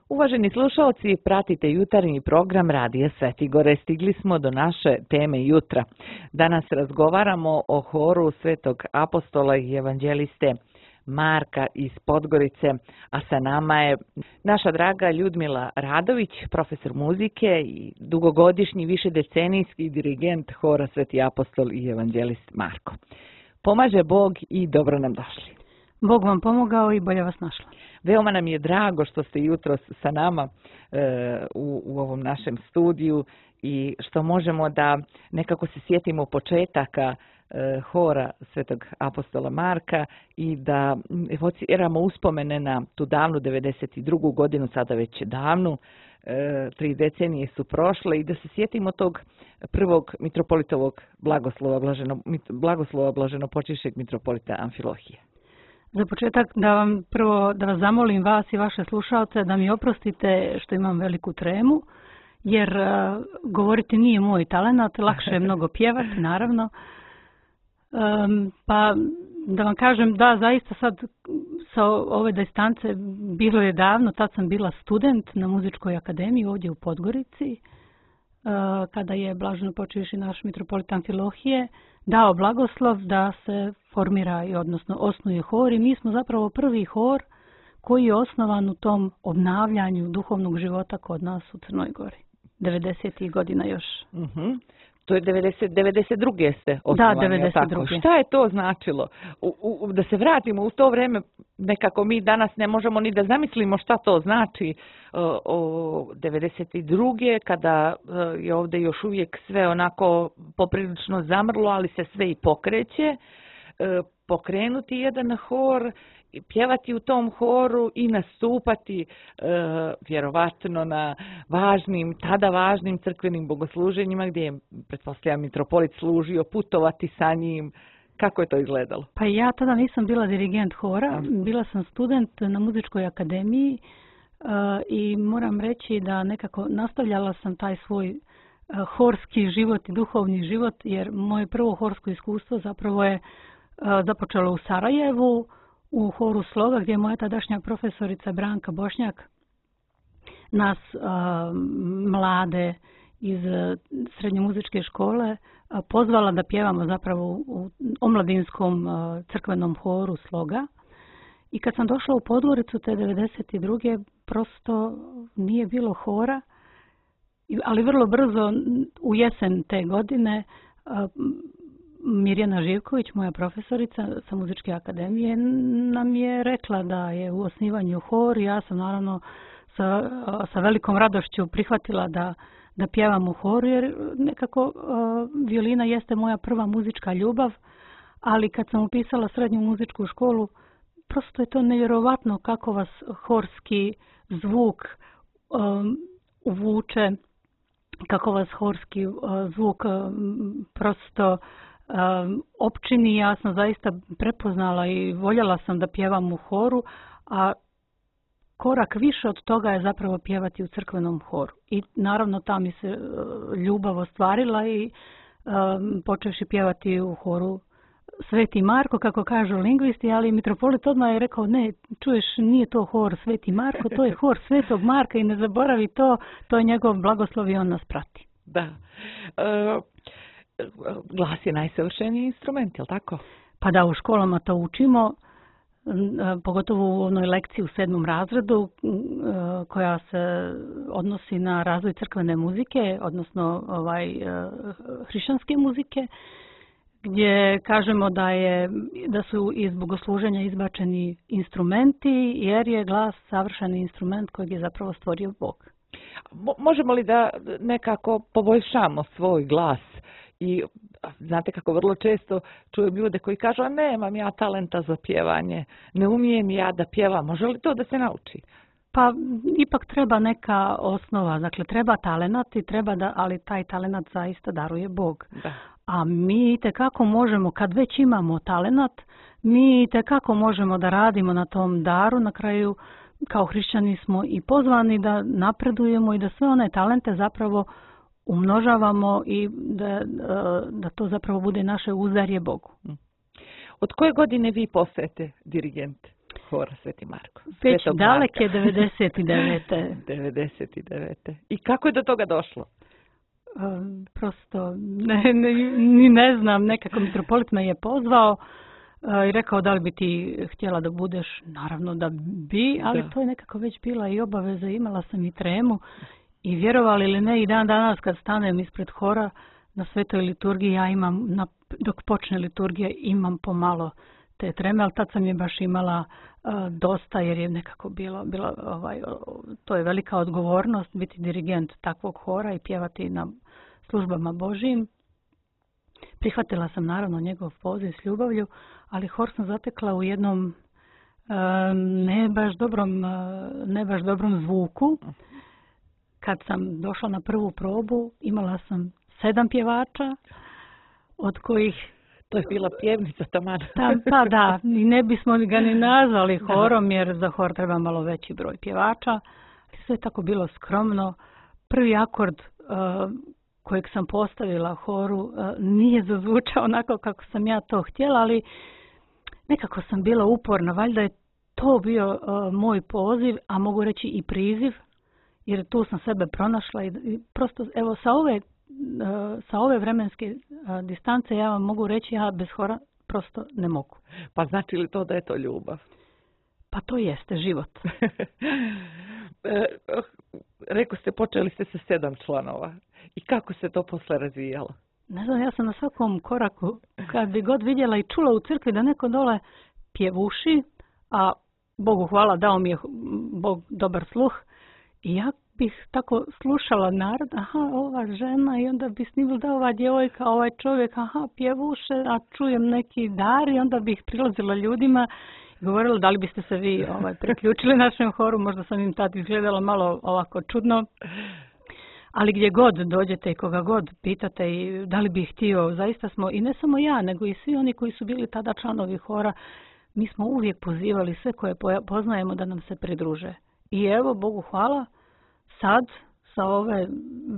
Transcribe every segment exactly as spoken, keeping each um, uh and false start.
Uvaženi slušalci, pratite jutarnji program Radija Sveti Gore. Stigli smo do naše teme jutra. Danas razgovaramo o horu Svetog apostola i evanđeliste Marka iz Podgorice, a sa nama je naša draga Ljudmila Radović, profesor muzike i dugogodišnji višedecenijski dirigent hora Sveti apostol i evanđelist Marko. Pomaže Bog i dobro nam došli. Bog vam pomogao i bolje vas našla. Veoma nam je drago što ste jutros sa nama e, u, u ovom našem studiju i što možemo da nekako se sjetimo početaka e, hora Svetog apostola Marka i da evociramo uspomene na tu davnu devedeset drugu godinu, sada već davnu, e, tri decenije su prošle i da se sjetimo tog prvog mitropolitovog blagoslova, blaženo, blagoslova blaženopočivšeg mitropolita Amfilohije. Za početak da vam prvo da vas zamolim vas i vaše slušalce da mi oprostite što imam veliku tremu, jer uh, govoriti nije moj talenat, lakše je mnogo pjevati, naravno. Um, pa da vam kažem da zaista sad sa ove distance bilo je davno, tad sam bila student na muzičkoj akademiji ovdje u Podgorici, uh, kada je blaženopočivši naš mitropolit Amfilohije dao blagoslov da se formira i odnosno osnuje hor i mi smo zapravo prvi hor koji je osnovan u tom obnavljanju duhovnog života kod nas u Crnoj Gori. devedesetih godina još. Uh-huh. To je devedeset, devedeset druge ste osnovani. Da, devedeset druge. Tako. Šta je to značilo? U, u, da se vratimo u to vreme, nekako mi danas ne možemo ni da zamislimo šta to znači o, o devedeset druge kada je ovdje još uvijek sve onako poprilično zamrlo, ali se sve i pokreće. Pokrenuti jedan hor, pjevati u tom horu i nastupati e, vjerovatno na važnim, tada važnim crkvenim bogosluženjima gdje je, pretpostavljam, mitropolit služio, putovati sa njim. Kako je to izgledalo? Pa ja tada nisam bila dirigent hora, bila sam student na muzičkoj akademiji e, i moram reći da nekako nastavljala sam taj svoj e, horski život i duhovni život, jer moje prvo horsko iskustvo zapravo je e, započelo u Sarajevu, u horu Sloga, gdje je moja tadašnja profesorica Branka Bošnjak nas a, mlade iz srednje muzičke škole a, pozvala da pjevamo zapravo u omladinskom a, crkvenom horu Sloga. I kad sam došla u Podgoricu te devedeset druge prosto nije bilo hora, ali vrlo brzo u jesen te godine a, Mirjana Živković, moja profesorica sa muzičke akademije, nam je rekla da je u osnivanju hor. Ja sam naravno sa, sa velikom radošću prihvatila da, da pjevam u horu, jer nekako uh, violina jeste moja prva muzička ljubav, ali kad sam upisala srednju muzičku školu, prosto je to nevjerovatno kako vas horski zvuk um, uvuče, kako vas horski uh, zvuk um, prosto Um, općini. Ja sam zaista prepoznala i voljela sam da pjevam u horu, a korak više od toga je zapravo pjevati u crkvenom horu. I naravno ta mi se uh, ljubav ostvarila i um, počevši pjevati u horu Sveti Marko, kako kažu lingvisti, ali mitropolit odmah je rekao, ne, čuješ, nije to hor Sveti Marko, to je hor Svetog Marka i ne zaboravi to, to je njegov blagoslov i on nas prati. Da. Uh... Glas je najsavršeniji instrument, je li tako? Pa da, u školama to učimo, pogotovo u onoj lekciji u sedmom razredu koja se odnosi na razvoj crkvene muzike, odnosno ovaj, hrišćanske muzike, gdje kažemo da, je, da su iz bogosluženja izbačeni instrumenti, jer je glas savršeni instrument kojeg je zapravo stvorio Bog. Možemo li da nekako poboljšamo svoj glas? I znate kako vrlo često čujem ljude koji kažu, a nemam ja talenta za pjevanje, ne umijem ja da pjevam, može li to da se nauči? Pa ipak treba neka osnova, dakle treba talenat i treba da, ali taj talenat zaista daruje Bog. Da. A mi itekako možemo, kad već imamo talenat, mi itekako možemo da radimo na tom daru, na kraju kao hrišćani smo i pozvani da napredujemo i da sve one talente zapravo umnožavamo i da, da to zapravo bude naše uzdarje Bogu. Od koje godine vi postajete dirigent? hora Sveti Marko. Već Svetog daleke Marka. devedeset devete. devedeset devete. I kako je do toga došlo? Um, prosto ne, ne, ni ne znam, nekako mitropolit me je pozvao uh, i rekao da li bi ti htjela da budeš, naravno da bi, ali da. to je nekako već bila i obaveza, imala sam i tremu i vjerovali ili ne i dan danas kad stanem ispred hora na svetoj liturgiji, ja imam, na, dok počne liturgija, imam pomalo te treme, ali tad sam je baš imala uh, dosta jer je nekako bilo, bilo ovaj, to je velika odgovornost biti dirigent takvog hora i pjevati na službama Božijim. Prihvatila sam naravno njegov poziv s ljubavlju, ali hor sam zatekla u jednom uh, ne baš dobrom, uh, ne baš dobrom zvuku. Kad sam došla na prvu probu, imala sam sedam pjevača, od kojih to je bila pjevnica taman. Ta, pa da, i ne bismo ga ni nazvali horom, jer za hor treba malo veći broj pjevača. Sve je tako bilo skromno. Prvi akord uh, kojeg sam postavila horu uh, nije zazvučao onako kako sam ja to htjela, ali nekako sam bila uporna. Valjda je to bio uh, moj poziv, a mogu reći i priziv, jer tu sam sebe pronašla i, i prosto evo sa ove sa ove vremenske distance ja vam mogu reći ja bez hora prosto ne mogu. Pa znači li to da je to ljubav? Pa to jeste život. Rekao ste, počeli ste sa sedam članova. I kako se to posle razvijalo? Ne znam, ja sam na svakom koraku, kad bi god vidjela i čula u crkvi da neko dole pjevuši, a Bogu hvala, dao mi je Bog dobar sluh, i ja bih tako slušala narod, aha, ova žena, i onda bi snimila da ova djevojka, ovaj čovjek, aha, pjevuše, a čujem neki dar, i onda bih prilazila ljudima i govorila da li biste se vi ovaj, priključili našem horu, možda sam im tad izgledala malo ovako čudno, ali gdje god dođete i koga god pitate i da li bih htio, zaista smo, i ne samo ja, nego i svi oni koji su bili tada članovi hora, mi smo uvijek pozivali sve koje poznajemo da nam se pridruže. I evo, Bogu hvala, sad, sa ove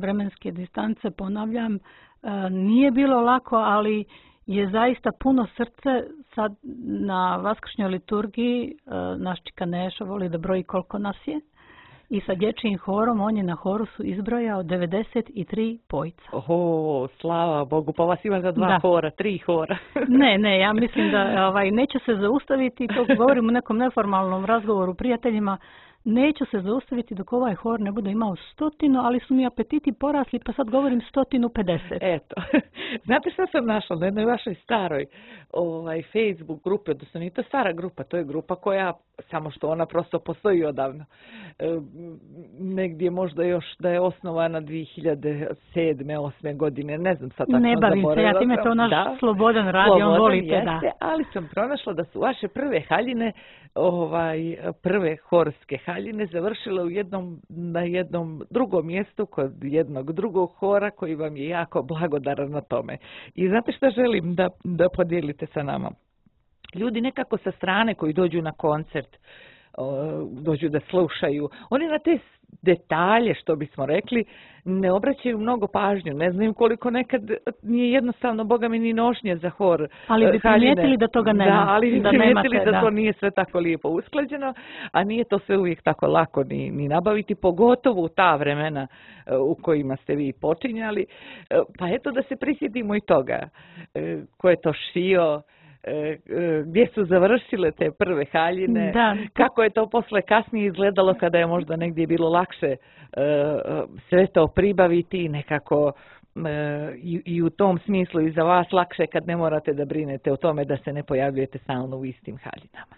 vremenske distance, ponavljam, nije bilo lako, ali je zaista puno srce. Sad na vaskršnjoj liturgiji naš čika Neša voli da broji koliko nas je. I sa dječjim horom, on je na horu su izbrojao devedeset tri pojca. Oho, slava Bogu, pa vas ima za dva da. hora, tri hora. ne, ne, ja mislim da ovaj, neće se zaustaviti, to govorim u nekom neformalnom razgovoru prijateljima, neću se zaustaviti dok ovaj hor ne bude imao stotinu, ali su mi apetiti porasli, pa sad govorim stotinu pedeset. Eto, znate što sam našla na jednoj vašoj staroj ovaj, Facebook grupi, odnosno nije to stara grupa, to je grupa koja, samo što ona prosto postoji odavno. E, negdje možda još da je osnovana dvije hiljade sedme osme godine, ne znam sad tako ne bavim se, ja time to naš da, slobodan radi, slobodan, on volite, jeste, da. Ali sam pronašla da su vaše prve haljine, ovaj, prve horske haljine završile u jednom, na jednom drugom mjestu kod jednog drugog hora koji vam je jako blagodaran na tome. I znate što želim da, da podijelite sa nama? Ljudi nekako sa strane koji dođu na koncert, dođu da slušaju, oni na te detalje, što bismo rekli, ne obraćaju mnogo pažnju. Ne znam koliko nekad nije jednostavno, Boga mi, ni nošnje za hor. Ali bi primijetili da toga nema. Da, ali bi da primijetili nemate, da, da to da. nije sve tako lijepo usklađeno, a nije to sve uvijek tako lako ni, ni nabaviti, pogotovo u ta vremena u kojima ste vi počinjali. Pa eto da se prisjetimo i toga. Ko je to šio, gdje su završile te prve haljine, da. kako je to posle kasnije izgledalo kada je možda negdje bilo lakše sve to pribaviti i nekako i, i u tom smislu i za vas lakše kad ne morate da brinete o tome da se ne pojavljujete stalno u istim haljinama.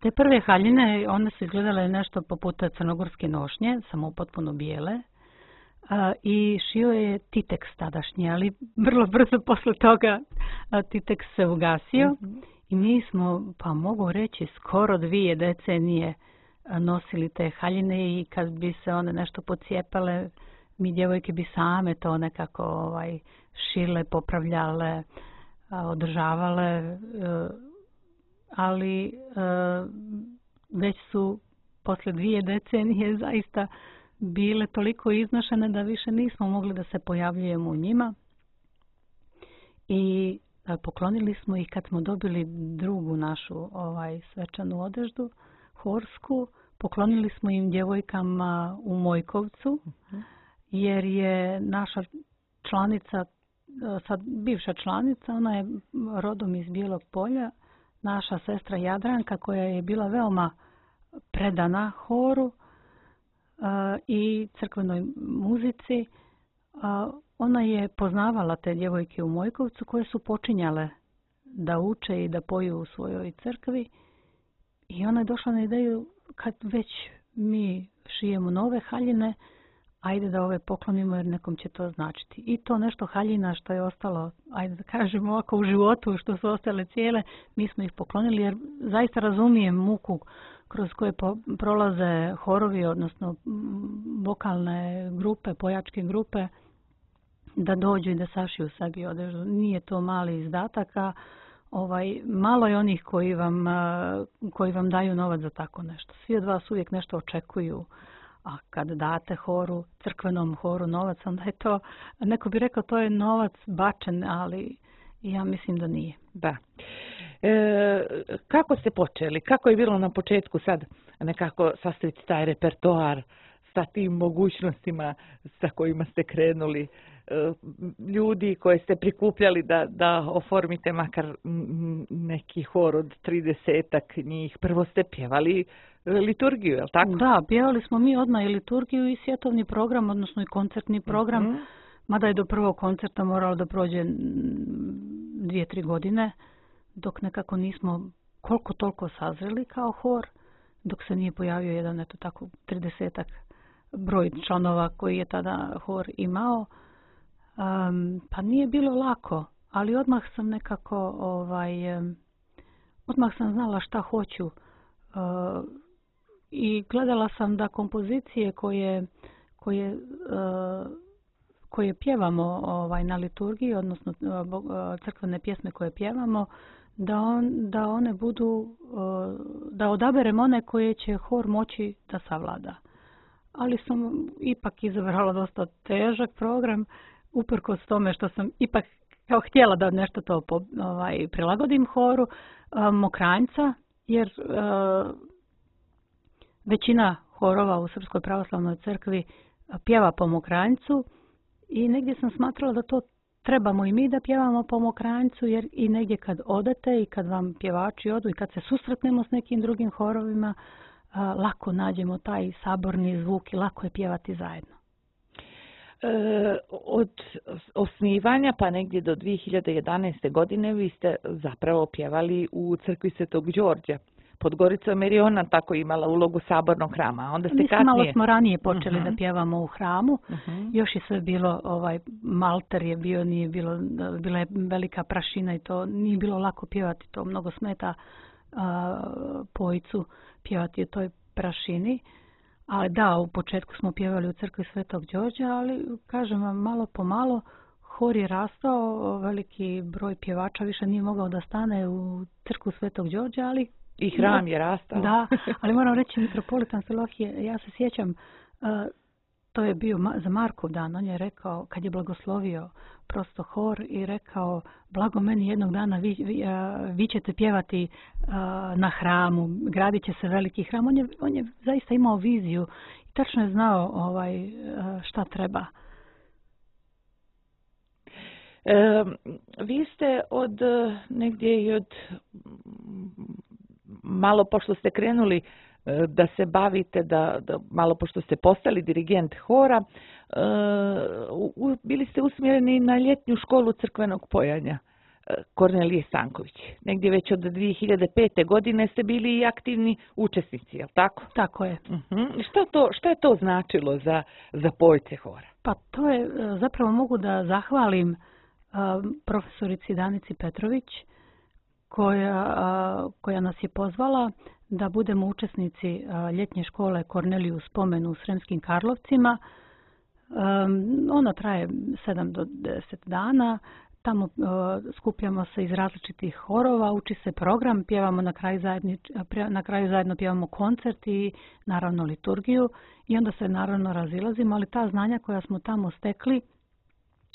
Te prve haljine, one su izgledale nešto poput crnogorske nošnje, samo potpuno bijele. A, i šio je Titeks tadašnji, ali vrlo brzo posle toga a, Titeks se ugasio mm-hmm. i mi smo, pa mogu reći, skoro dvije decenije a, nosili te haljine i kad bi se one nešto pocijepale, mi djevojke bi same to nekako ovaj, šile, popravljale, a, održavale, a, ali a, već su posle dvije decenije zaista bile toliko iznošene da više nismo mogli da se pojavljujemo u njima. I Poklonili smo ih kad smo dobili drugu našu ovaj svečanu odeždu, horsku. Poklonili smo im djevojkama u Mojkovcu, jer je naša članica, sad bivša članica, ona je rodom iz Bijelog Polja, naša sestra Jadranka, koja je bila veoma predana horu uh, i crkvenoj muzici. Uh, ona je poznavala te djevojke u Mojkovcu koje su počinjale da uče i da poju u svojoj crkvi. I ona je došla na ideju, kad već mi šijemo nove haljine, ajde da ove poklonimo jer nekom će to značiti. I to nešto haljina što je ostalo, ajde da kažemo ovako u životu, što su ostale cijele, mi smo ih poklonili jer zaista razumijem muku kroz koje prolaze horovi, odnosno vokalne grupe, pojačke grupe, da dođu i da sašiju sebi odežu. Nije to mali izdatak, a ovaj, malo je onih koji vam, koji vam daju novac za tako nešto. Svi od vas uvijek nešto očekuju. A kad date horu, crkvenom horu novac, onda je to, neko bi rekao to je novac bačen, ali ja mislim da nije. Da. E, kako ste počeli? Kako je bilo na početku sad nekako sastaviti taj repertoar sa tim mogućnostima sa kojima ste krenuli? E, ljudi koje ste prikupljali da, da oformite makar neki hor od tridesetak njih. Prvo ste pjevali liturgiju, je li tako? Da, pjevali smo mi odmah i liturgiju i svjetovni program, odnosno i koncertni program. Mm-hmm. Mada je do prvog koncerta moralo da prođe dvije, tri godine, dok nekako nismo koliko toliko sazreli kao hor, dok se nije pojavio jedan, eto tako, tridesetak broj članova koji je tada hor imao. Um, pa nije bilo lako, ali odmah sam nekako, ovaj, um, odmah sam znala šta hoću. Uh, I gledala sam da kompozicije koje, koje, uh, koje pjevamo ovaj, na liturgiji, odnosno uh, crkvene pjesme koje pjevamo, da, on, da one budu, uh, da odaberem one koje će hor moći da savlada. Ali sam ipak izabrala dosta težak program, uprkos tome što sam ipak kao htjela da nešto to po, ovaj, prilagodim horu, uh, Mokranjca, jer uh, većina horova u Srpskoj pravoslavnoj crkvi pjeva po Mokranjcu i negdje sam smatrala da to trebamo i mi da pjevamo po Mokranjcu, jer i negdje kad odete i kad vam pjevači odu i kad se susretnemo s nekim drugim horovima, lako nađemo taj saborni zvuk i lako je pjevati zajedno. E, od osnivanja pa negdje do dvije hiljade jedanaeste. godine vi ste zapravo pjevali u crkvi Svetog Đorđa pod Goricom, jer je ona tako imala ulogu sabornog hrama. Onda ste Mislim, kasnije... malo smo ranije počeli uh-huh. da pjevamo u hramu. Uh-huh. Još je sve bilo, ovaj, malter je bio, nije bilo, bila je velika prašina i to nije bilo lako pjevati. To mnogo smeta uh, pojcu pjevati u toj prašini. Ali da, u početku smo pjevali u crkvi Svetog Đorđa, ali kažem vam, malo po malo hor je rastao, veliki broj pjevača više nije mogao da stane u crkvu Svetog Đorđa, ali i hram je rastao. Da, ali moram reći, mitropolitan Filohije, ja se sjećam, uh, to je bio za Markov dan, on je rekao, kad je blagoslovio prosto hor i rekao, blago meni jednog dana vi, vi, uh, vi ćete pjevati uh, na hramu, gradit će se veliki hram. On je, on je zaista imao viziju i tačno je znao ovaj, uh, šta treba. E, vi ste od negdje i od malo pošto ste krenuli da se bavite, da, da malo pošto ste postali dirigent hora, uh, bili ste usmjereni na ljetnju školu crkvenog pojanja Kornelije Stanković. Negdje već od dvije hiljade pete. godine ste bili i aktivni učesnici, je li tako? Tako je. Uh-huh. Što, to, što je to značilo za, za pojce hora? Pa to je, zapravo mogu da zahvalim uh, profesorici Danici Petrović, koja, koja nas je pozvala da budemo učesnici ljetnje škole Korneliju Spomen u Sremskim Karlovcima. Ona traje sedam do deset dana. Tamo skupljamo se iz različitih horova, uči se program, pjevamo na kraju, zajedni, na kraju zajedno pjevamo koncert i naravno liturgiju i onda se naravno razilazimo, ali ta znanja koja smo tamo stekli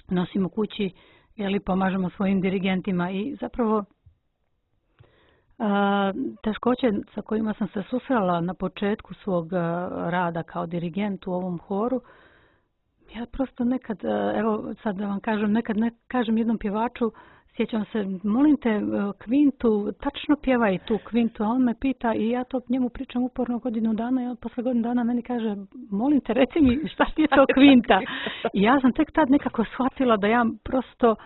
nosimo kući jeli, pomažemo svojim dirigentima i zapravo a, teškoće sa kojima sam se susrela na početku svog a, rada kao dirigent u ovom horu, ja prosto nekad, a, evo sad da vam kažem, nekad ne kažem jednom pjevaču, sjećam se, molim te, kvintu, tačno pjevaj tu kvintu, a on me pita i ja to njemu pričam uporno godinu dana i on posle godinu dana meni kaže, molim te, reci mi šta ti je to kvinta. I ja sam tek tad nekako shvatila da ja prosto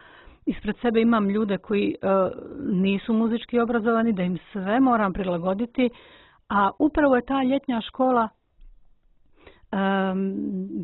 ispred sebe imam ljude koji uh, nisu muzički obrazovani, da im sve moram prilagoditi, a upravo je ta ljetnja škola um,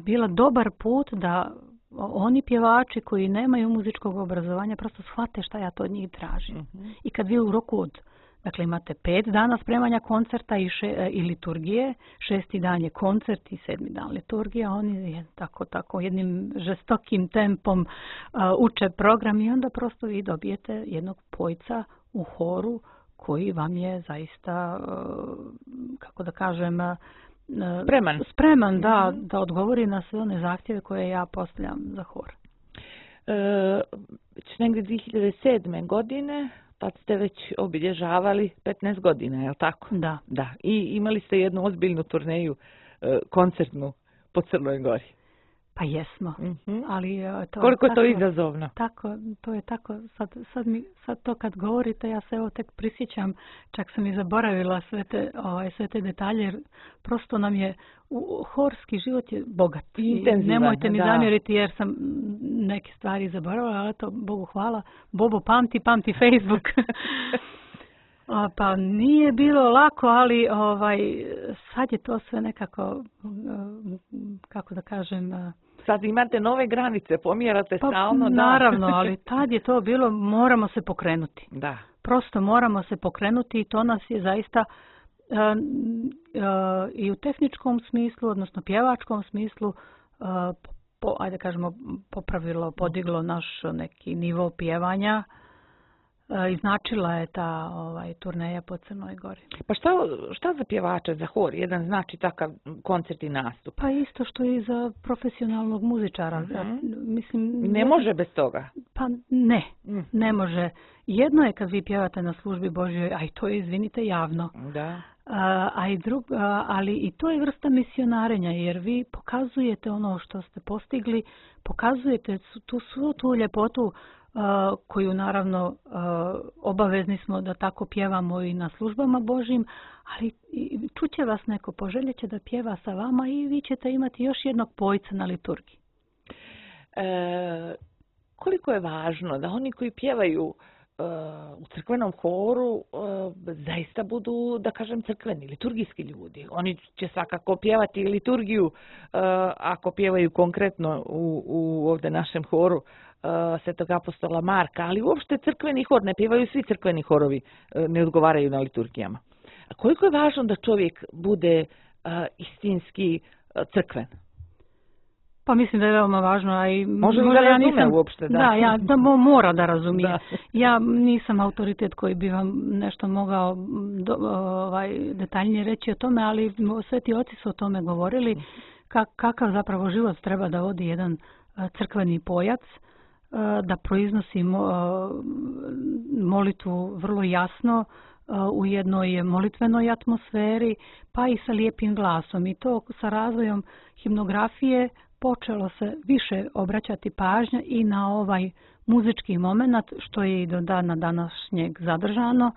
bila dobar put da oni pjevači koji nemaju muzičkog obrazovanja prosto shvate šta ja to od njih tražim. Mm-hmm. I kad vi u roku od, dakle imate pet dana spremanja koncerta i, še, i liturgije, šesti dan je koncert i sedmi dan liturgija, oni tako, tako jednim žestokim tempom uh, uče program i onda prosto vi dobijete jednog pojca u horu koji vam je zaista, uh, kako da kažem, uh, Spreman. Spreman, da, da odgovori na sve one zahtjeve koje ja postavljam za hor. E, već negdje dvije hiljade sedme. godine, tad ste već obilježavali petnaest godina, je li tako? Da. Da. I imali ste jednu ozbiljnu turneju e, koncertnu po Crnoj Gori. Pa jesmo, Mm-hmm. ali to koliko je tako, to izazovno? Tako, to je tako, sad, sad, mi, sad to kad govorite, ja se evo tek prisjećam, čak sam i zaboravila sve te, ovaj, sve te detalje, jer prosto nam je, u, horski život je bogat. Intenzivan, nemojte mi da. zamjeriti jer sam neke stvari zaboravila, ali to Bogu hvala, Bobo pamti, pamti Facebook. A, pa nije bilo lako, ali ovaj, sad je to sve nekako, kako da kažem... Sad imate nove granice, pomjerate pa, stalno. Da. Naravno, ali tad je to bilo, moramo se pokrenuti. Da. Prosto moramo se pokrenuti i to nas je zaista uh, uh, i u tehničkom smislu, odnosno pjevačkom smislu, uh, po, ajde kažemo, popravilo, podiglo naš neki nivo pjevanja. I značila je ta ovaj, turneja po Crnoj Gori. Pa šta, šta za pjevača, za hor, jedan znači takav koncert i nastup? Pa isto što i za profesionalnog muzičara. Mm-hmm. Mislim, ne jedan, može bez toga? Pa ne, mm. ne može. Jedno je kad vi pjevate na službi Božjoj, a i to je, izvinite, javno. Da. A, a i drug, a, ali i to je vrsta misionarenja, jer vi pokazujete ono što ste postigli, pokazujete tu svu tu ljepotu Uh, koju naravno uh, obavezni smo da tako pjevamo i na službama Božjim, ali čuće vas neko, poželjeće da pjeva sa vama i vi ćete imati još jednog pojca na liturgiji. E, koliko je važno da oni koji pjevaju uh, u crkvenom horu uh, zaista budu, da kažem, crkveni, liturgijski ljudi. Oni će svakako pjevati liturgiju uh, ako pjevaju konkretno u, u ovdje našem horu Svetog apostola Marka, ali uopšte crkveni hor, ne pjevaju svi crkveni horovi, ne odgovaraju na liturgijama. A koliko je važno da čovjek bude uh, istinski uh, crkven? Pa mislim da je veoma važno. A i može li da ja razume nisam, uopšte? Da, da, ja da mora da razumije. Da. Ja nisam autoritet koji bi vam nešto mogao do, ovaj, detaljnije reći o tome, ali sveti oci su o tome govorili, ka, kakav zapravo život treba da vodi jedan uh, crkveni pojac, da proiznosi molitvu vrlo jasno u jednoj molitvenoj atmosferi, pa i sa lijepim glasom. I to sa razvojem himnografije počelo se više obraćati pažnja i na ovaj muzički moment, što je i do dana današnjeg zadržano.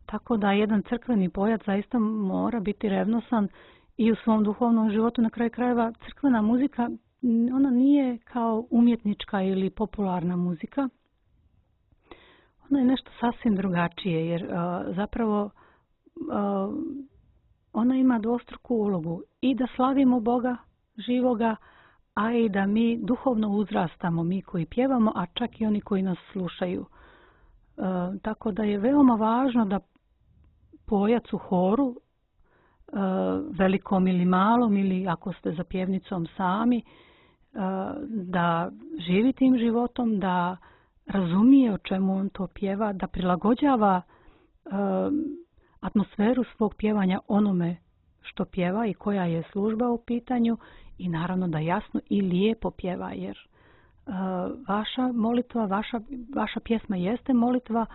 Tako da jedan crkveni pojac zaista mora biti revnosan i u svom duhovnom životu. Na kraju krajeva crkvena muzika, ona nije kao umjetnička ili popularna muzika. Ona je nešto sasvim drugačije, jer uh, zapravo uh, ona ima dvostruku ulogu i da slavimo Boga živoga, a i da mi duhovno uzrastamo, mi koji pjevamo, a čak i oni koji nas slušaju. Uh, tako da je veoma važno da pojac u horu, uh, velikom ili malom, ili ako ste za pjevnicom sami, da živi tim životom, da razumije o čemu on to pjeva, da prilagođava uh, atmosferu svog pjevanja onome što pjeva i koja je služba u pitanju i naravno da jasno i lijepo pjeva, jer vaša molitva, vaša, vaša pjesma jeste molitva,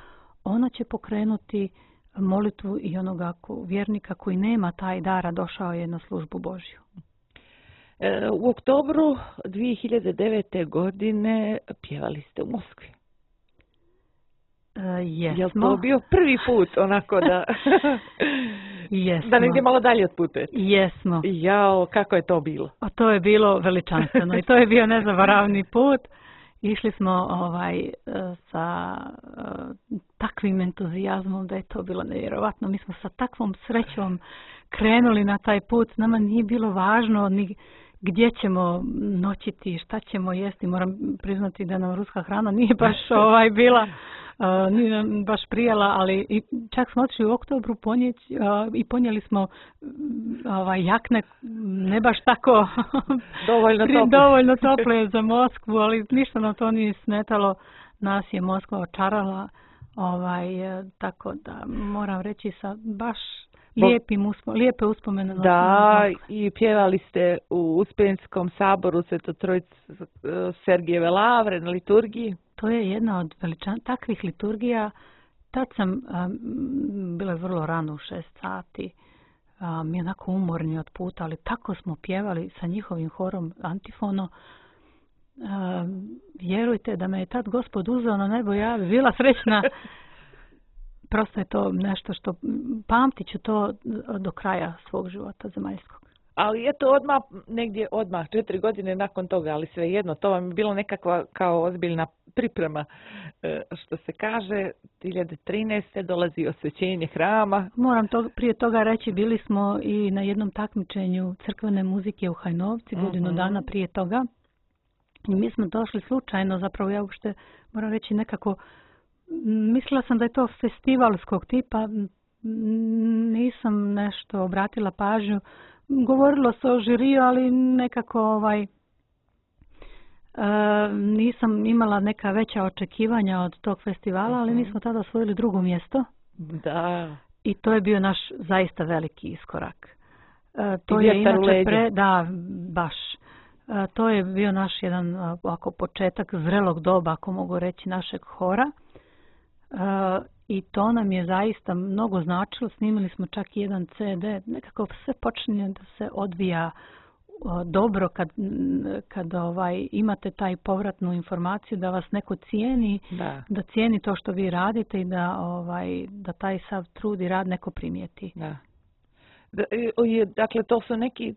ona će pokrenuti molitvu i onoga ko, vjernika koji nema taj dar, a došao je na službu Božju. U oktobru dvije hiljade devete. godine pjevali ste u Moskvi. Uh, jesmo. Je li to bio prvi put onako da... Jesmo. Da negdje malo dalje otputujete? Jesmo. Jao, kako je to bilo? A to je bilo veličanstveno i to je bio nezaboravni put. Išli smo ovaj sa uh, takvim entuzijazmom da je to bilo nevjerovatno. Mi smo sa takvom srećom krenuli na taj put. Nama nije bilo važno ni gdje ćemo noćiti, šta ćemo jesti. Moram priznati da nam ruska hrana nije baš ovaj bila, uh, nije nam baš prijela, ali i čak smo otišli u oktobru ponijeti uh, i ponijeli smo ovaj, jakne, ne baš tako dovoljno tople. dovoljno tople za Moskvu, ali ništa nam to nije smetalo. Nas je Moskva očarala, ovaj, tako da moram reći sa baš lijepim uspo, lijepe uspomene. Da, i pjevali ste u Uspenskom saboru Svetotrojice Sergijeve lavre na liturgiji. To je jedna od veličan takvih liturgija. Tad sam, um, bilo je vrlo rano u šest sati, um, mi onako umorni od puta, ali tako smo pjevali sa njihovim horom antifono. Um, vjerujte da me je tad Gospod uzeo na nebo, ja bi bila srećna. Prosto je to nešto što pamtit ću to do kraja svog života zemaljskog. Ali je to odmah, negdje odmah, četiri godine nakon toga, ali svejedno, to vam je bilo nekakva kao ozbiljna priprema, što se kaže, dvije hiljade trinaeste. dolazi osvećenje hrama. Moram to, prije toga reći, bili smo i na jednom takmičenju crkvene muzike u Hajnovci, godinu uh-huh. dana prije toga. I mi smo došli slučajno, zapravo ja uopšte moram reći nekako, mislila sam da je to festivalskog tipa, nisam nešto obratila pažnju. Govorilo se o žiriju, ali nekako ovaj, e, nisam imala neka veća očekivanja od tog festivala, ali mi smo tada osvojili drugo mjesto. Da. I to je bio naš zaista veliki iskorak. E, to je inače pre, da, baš. E, to je bio naš jedan ovako početak zrelog doba, ako mogu reći, našeg hora. Uh, i to nam je zaista mnogo značilo. Snimili smo čak i jedan ce de. Nekako sve počinje da se odvija uh, dobro kad, kad ovaj, imate taj povratnu informaciju da vas neko cijeni, da, da cijeni to što vi radite i da, ovaj, da taj sav trud i rad neko primijeti. Da. Dakle, to su neki,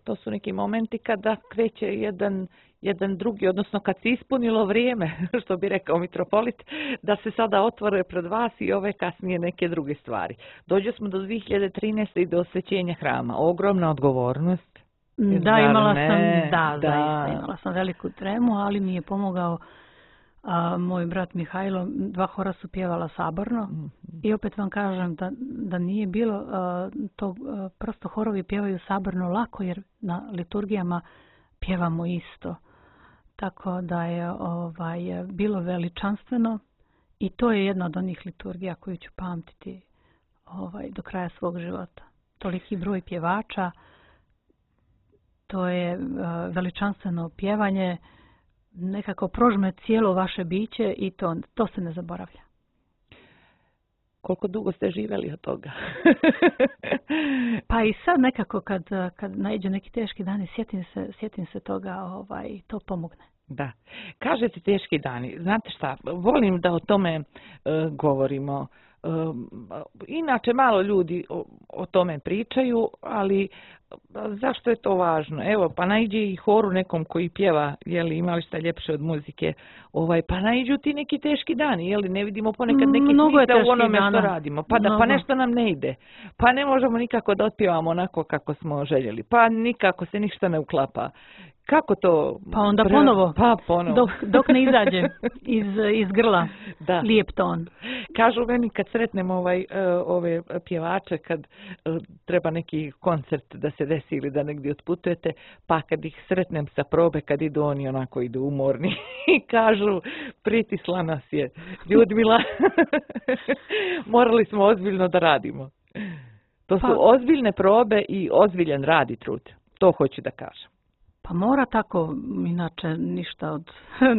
to su neki momenti kada kreće jedan, jedan drugi, odnosno kad se ispunilo vrijeme, što bi rekao mitropolit, da se sada otvore pred vas i ove kasnije neke druge stvari. Dođe smo do dvije hiljade trinaeste. i do osvećenja hrama. Ogromna odgovornost. Da, imala sam, da, da. Zaista, imala sam veliku tremu, ali mi je pomogao a, moj brat Mihajlo. Dva hora su pjevala saborno. Mm-hmm. I opet vam kažem da, da nije bilo a, to, a, prosto horovi pjevaju saborno lako, jer na liturgijama pjevamo isto. Tako da je ovaj, bilo veličanstveno i to je jedna od onih liturgija koju ću pamtiti ovaj, do kraja svog života. Toliki broj pjevača, to je uh, veličanstveno pjevanje, nekako prožme cijelo vaše biće i to, to se ne zaboravlja. Koliko dugo ste živjeli od toga? Pa i sad nekako kad, kad naiđe neki teški dani, sjetim se, sjetim se toga, ovaj, to pomogne. Da. Kažete teški dani. Znate šta, volim da o tome uh, govorimo. Uh, inače malo ljudi o, o tome pričaju, ali zašto je to važno? Evo, pa naiđe i horu nekom koji pjeva, jeli, imali šta ljepše od muzike, ovaj, pa naiđu ti neki teški dani, jeli, ne vidimo ponekad neki smisao u onome što radimo, pa, da, pa nešto nam ne ide, pa ne možemo nikako da otpjevamo onako kako smo željeli, pa nikako se ništa ne uklapa. Kako to? Pa onda pre... ponovo, pa ponovo. Dok, dok ne izađe iz, iz grla, da. Lijep ton. Kažu meni kad sretnem ovaj, uh, ove pjevače, kad uh, treba neki koncert da se desi ili da negdje otputujete, pa kad ih sretnem sa probe, kad idu oni onako idu umorni i kažu pritisla nas je Ljudmila, morali smo ozbiljno da radimo. To su pa... ozbiljne probe i ozbiljan rad i trud. To hoću da kažem. Pa Pa mora tako, inače ništa od,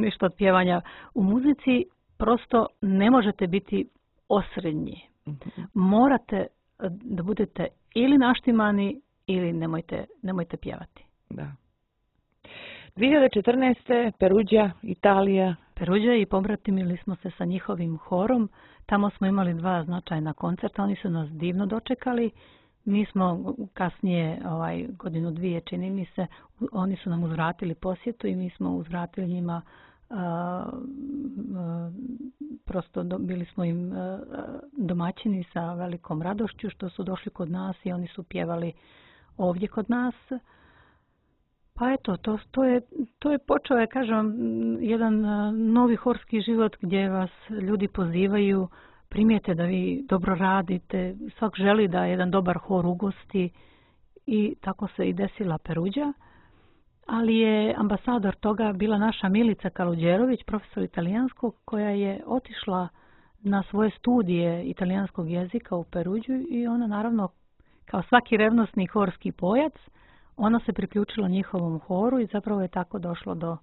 ništa od pjevanja u muzici, prosto ne možete biti osrednji. Mhm. Morate da budete ili naštimani ili nemojte, nemojte pjevati. Da. dvije hiljade četrnaeste. Peruđa, Italija. Peruđa i pobratimili smo se sa njihovim horom. Tamo smo imali dva značajna koncerta. Oni su nas divno dočekali. Mi smo kasnije, ovaj, godinu dvije čini mi se, oni su nam uzvratili posjetu i mi smo uzvratili njima, a, a, prosto do, bili smo im a, domaćini sa velikom radošću što su došli kod nas i oni su pjevali ovdje kod nas. Pa eto, to, to, je, to je počeo, ja kažem, jedan novi horski život gdje vas ljudi pozivaju, primijete da vi dobro radite, svak želi da jedan dobar hor ugosti i tako se i desila Peruđa. Ali je ambasador toga bila naša Milica Kaluđerović, profesor italijanskog, koja je otišla na svoje studije italijanskog jezika u Peruđu i ona naravno, kao svaki revnosni horski pojac, ona se priključila njihovom horu i zapravo je tako došlo do,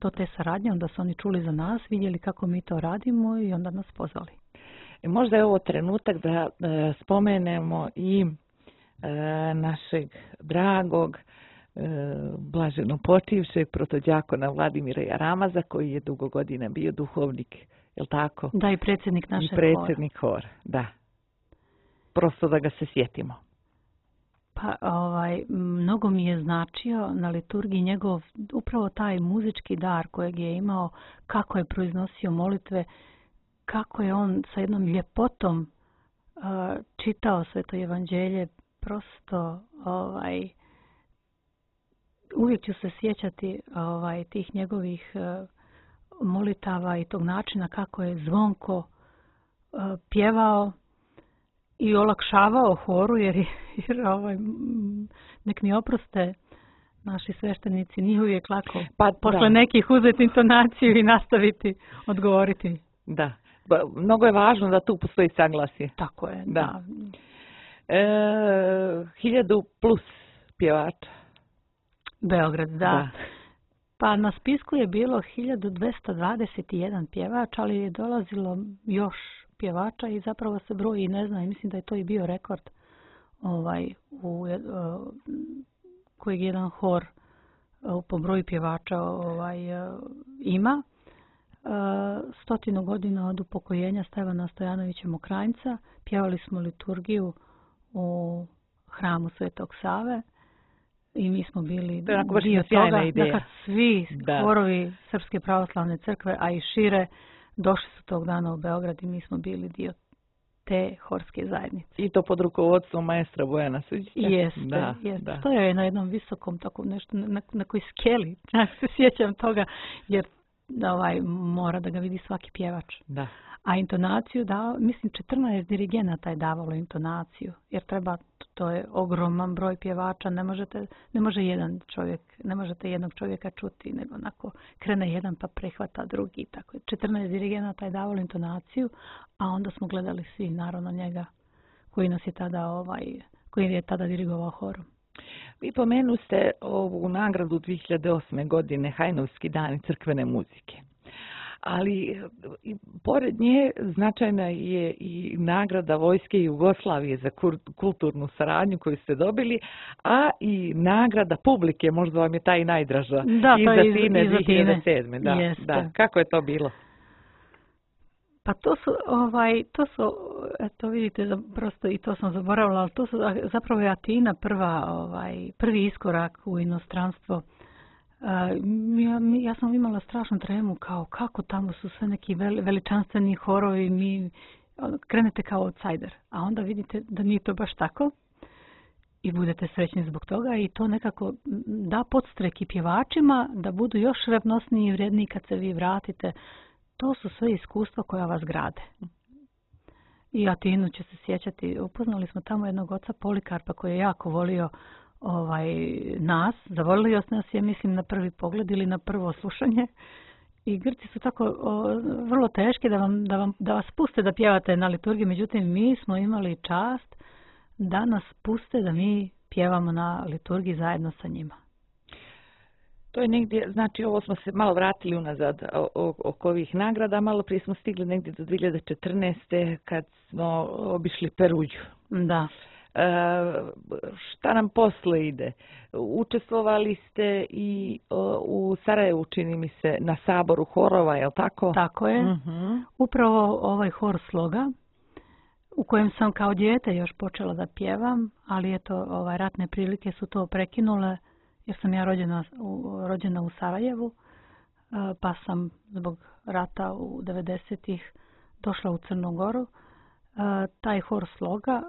do te saradnje. Onda su oni čuli za nas, vidjeli kako mi to radimo i onda nas pozvali. I možda je ovo trenutak da e, spomenemo i e, našeg dragog, e, blaženo počivšeg protodjakona Vladimira Jaramaza, koji je dugo godina bio duhovnik, je li tako? Da, i predsjednik našeg I predsjednik hora. hora, da. Prosto da ga se sjetimo. Pa ovaj, mnogo mi je značio na liturgiji njegov upravo taj muzički dar kojeg je imao, kako je proiznosio molitve, kako je on sa jednom ljepotom uh, čitao Sveto evanđelje, prosto ovaj, uvijek ću se sjećati ovaj, tih njegovih uh, molitava i tog načina kako je zvonko uh, pjevao i olakšavao horu, jer, jer ovaj, nek mi oproste naši sveštenici, nije uvijek lako pa, posle da. nekih uzeti intonaciju i nastaviti odgovoriti. Da, ba, mnogo je važno da tu postoji saglasje. Tako je, da. da. E, hiljadu plus pjevača. Beograd, da. da. Pa na spisku je bilo hiljadu dvesta dvadeset jedan pjevač, ali je dolazilo još pjevača i zapravo se broji i ne znam, mislim da je to i bio rekord ovaj, u, uh, kojeg jedan hor uh, po broju pjevača ovaj, uh, ima. Uh, stotinu godina od upokojenja Stevana Stojanovića Mokranjca pjevali smo liturgiju u hramu Svetog Save i mi smo bili dio toga, da kad svi da. horovi Srpske pravoslavne crkve, a i šire, došli su tog dana u Beograd i mi smo bili dio te horske zajednice. I to pod rukovodstvom maestra Bojana Suđića? Jeste, da, jeste. Da. To je na jednom visokom, tako nešto, na, na koji skeli, ja se sjećam toga, jer da ovaj, mora da ga vidi svaki pjevač. Da. A intonaciju, da, mislim, četrnaest dirigenata je davalo intonaciju, jer treba, to je ogroman broj pjevača, ne možete, ne može jedan čovjek, ne možete jednog čovjeka čuti, nego onako krene jedan pa prehvata drugi, tako je. četrnaest dirigenata je davalo intonaciju, a onda smo gledali svi, naravno njega, koji nas je tada, ovaj, koji je tada dirigovao horom. Vi pomenu ste ovu nagradu dvije hiljade osme. godine, Hajnovski dani crkvene muzike. Ali i pored nje značajna je i nagrada Vojske Jugoslavije za kulturnu saradnju koju ste dobili, a i nagrada publike, možda vam je ta i najdraža, da, iza Tine dvije hiljade sedme. Da, da. Kako je to bilo? Pa to su, ovaj, to su, eto vidite, prosto i to sam zaboravila, ali to su zapravo je Atina prva, ovaj, prvi iskorak u inostranstvo. Uh, ja, ja sam imala strašnu tremu, kao kako tamo su sve neki veličanstveni horovi, mi krenete kao outsider, a onda vidite da nije to baš tako i budete srećni zbog toga i to nekako da podstrek i pjevačima da budu još revnosniji i vredniji kad se vi vratite. To su sve iskustva koja vas grade. I Atinu će se sjećati, upoznali smo tamo jednog oca Polikarpa koji je jako volio ovaj, nas, zavolio nas je, mislim, na prvi pogled ili na prvo slušanje. I Grci su tako o, vrlo teški da, vam, da, vam, da vas puste da pjevate na liturgiji, međutim mi smo imali čast da nas puste da mi pjevamo na liturgiji zajedno sa njima. To je negdje, znači ovo smo se malo vratili unazad oko ovih nagrada, malo prije smo stigli negdje do dvije hiljade četrnaeste kad smo obišli Peruđu. Da. E, šta nam posle ide? Učestvovali ste i o, u Sarajevu, čini mi se, na saboru horova, je li tako? Tako je. Uh-huh. Upravo ovaj hor Sloga, u kojem sam kao dijete još počela da pjevam, ali eto, ovaj, ratne prilike su to prekinule, jer sam ja rođena u, rođena u Sarajevu, pa sam zbog rata u devedesetih došla u Crnu Goru. Taj hor Sloga,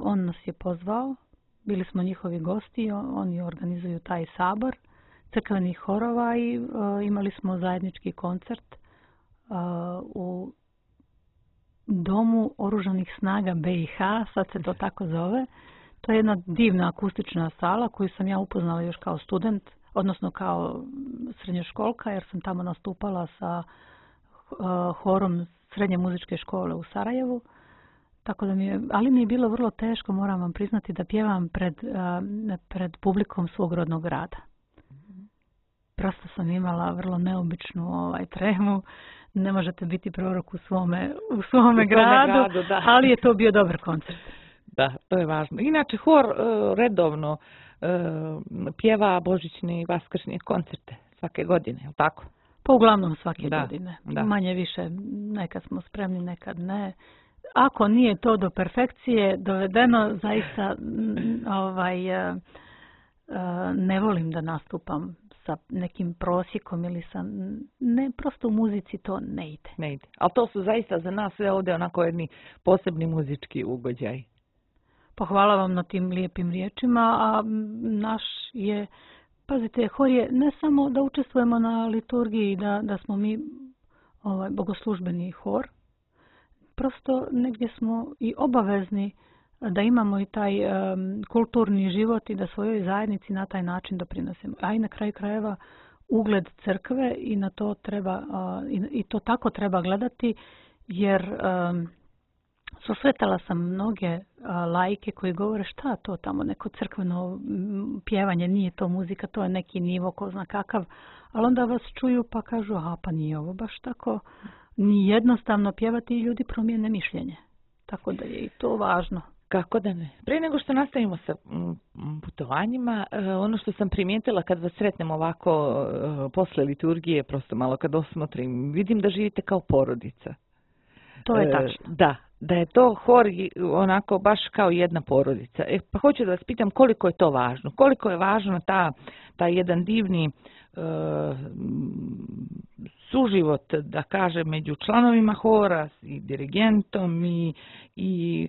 on nas je pozvao, bili smo njihovi gosti, oni organizuju taj sabor crkvenih horova i imali smo zajednički koncert u Domu oružanih snaga B i H, sad se to tako zove. To je jedna divna akustična sala koju sam ja upoznala još kao student, odnosno kao srednjoškolka, jer sam tamo nastupala sa uh, horom srednje muzičke škole u Sarajevu. Tako da mi je, ali mi je bilo vrlo teško, moram vam priznati, da pjevam pred, uh, pred publikom svog rodnog grada. Prosto sam imala vrlo neobičnu ovaj, tremu. Ne možete biti prorok u svome, u svome u gradu, gradu da. Ali je to bio dobar koncert. Da, to je važno. Inače, hor uh, redovno uh, pjeva božićne i vaskršnje koncerte svake godine, je li tako? Pa uglavnom svake da, godine. Da. Manje više, nekad smo spremni, nekad ne. Ako nije to do perfekcije dovedeno, zaista ovaj, uh, uh, ne volim da nastupam sa nekim prosjekom ili sa... Ne, prosto u muzici to ne ide. Ne ide. Ali to su zaista za nas sve ovdje onako jedni posebni muzički ugođaj. Pa hvala vam na tim lijepim riječima, a naš je, pazite, hor je ne samo da učestvujemo na liturgiji, da, da smo mi ovaj, bogoslužbeni hor, prosto negdje smo i obavezni da imamo i taj um, kulturni život i da svojoj zajednici na taj način doprinosimo. A i na kraju krajeva ugled crkve i na to treba, uh, i, i to tako treba gledati, jer um, susretala sam mnoge uh, laike koji govore šta to tamo, neko crkveno pjevanje, nije to muzika, to je neki nivo, ko zna kakav, ali onda vas čuju pa kažu, aha, pa nije ovo baš tako, ni jednostavno pjevati i ljudi promijene mišljenje. Tako da je i to važno. Kako da ne. Prije nego što nastavimo sa putovanjima, ono što sam primijetila kad vas sretnem ovako posle liturgije, prosto malo kad osmotrim, vidim da živite kao porodica. To je tačno. Da, da je to hor onako baš kao jedna porodica. E, pa hoću da vas pitam koliko je to važno. Koliko je važno ta, ta jedan divni uh, suživot, da kažem, među članovima hora i dirigentom i, i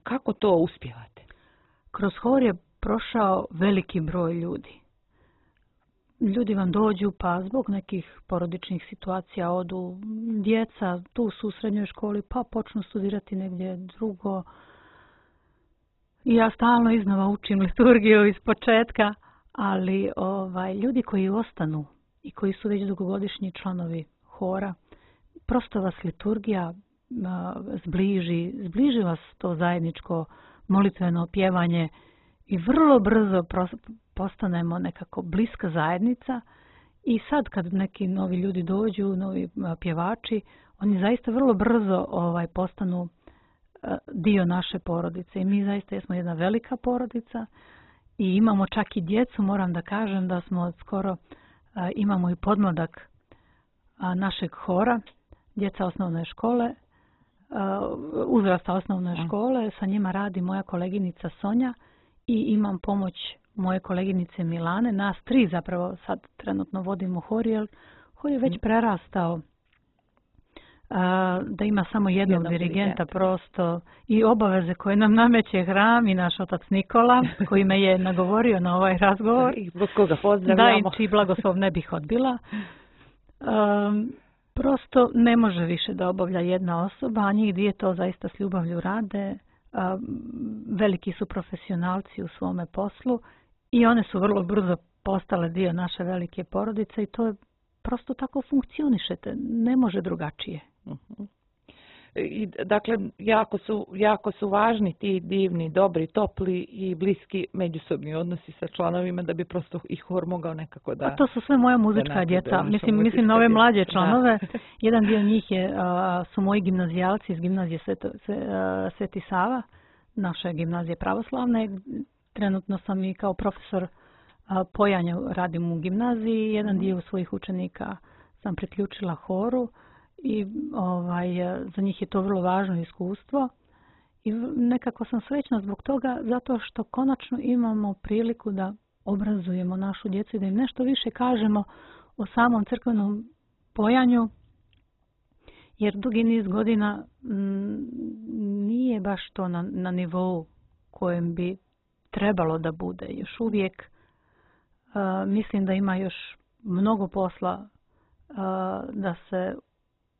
kako to uspijevate? Kroz hor je prošao veliki broj ljudi. Ljudi vam dođu pa zbog nekih porodičnih situacija odu, djeca tu su u srednjoj školi pa počnu studirati negdje drugo. I ja stalno iznova učim liturgiju iz početka, ali ovaj, ljudi koji ostanu i koji su već dugogodišnji članovi hora, prosto vas liturgija zbliži, zbliži vas to zajedničko molitveno pjevanje i vrlo brzo postanemo nekako bliska zajednica. I sad kad neki novi ljudi dođu, novi pjevači, oni zaista vrlo brzo ovaj, postanu dio naše porodice. I mi zaista smo jedna velika porodica i imamo čak i djecu, moram da kažem da smo skoro, imamo i podmladak našeg hora, djeca osnovne škole, uzrasta osnovne škole, sa njima radi moja koleginica Sonja i imam pomoć moje koleginice Milane. Nas tri zapravo sad trenutno vodimo hor, jer hor je već prerastao da ima samo jednog Jedno dirigenta prosto i obaveze koje nam nameće hram i naš otac Nikola, koji me je nagovorio na ovaj razgovor. I zbog koga pozdravljamo. Da, i čiji blagoslov ne bih odbila. Um, prosto ne može više da obavlja jedna osoba, a njih dvije to zaista s ljubavlju rade. Um, veliki su profesionalci u svome poslu i one su vrlo brzo postale dio naše velike porodice i to je prosto tako funkcionišete, ne može drugačije. Uh-huh. I, dakle, jako su, jako su važni ti divni, dobri, topli i bliski međusobni odnosi sa članovima da bi prosto i hor mogao nekako da... A to su sve moja muzička djeca. Mislim, mislim na ove mlađe članove. Da. Jedan dio njih je, a, su moji gimnazijalci iz gimnazije Sveto, Sveti Sava, naše gimnazije pravoslavne. Trenutno sam i kao profesor a, pojanja radim u gimnaziji. Jedan dio svojih učenika sam priključila horu i ovaj, za njih je to vrlo važno iskustvo. I nekako sam srećna zbog toga zato što konačno imamo priliku da obrazujemo našu djecu i da im nešto više kažemo o samom crkvenom pojanju, jer dugi niz godina m, nije baš to na, na nivou kojem bi trebalo da bude. Još uvijek uh, mislim da ima još mnogo posla uh, da se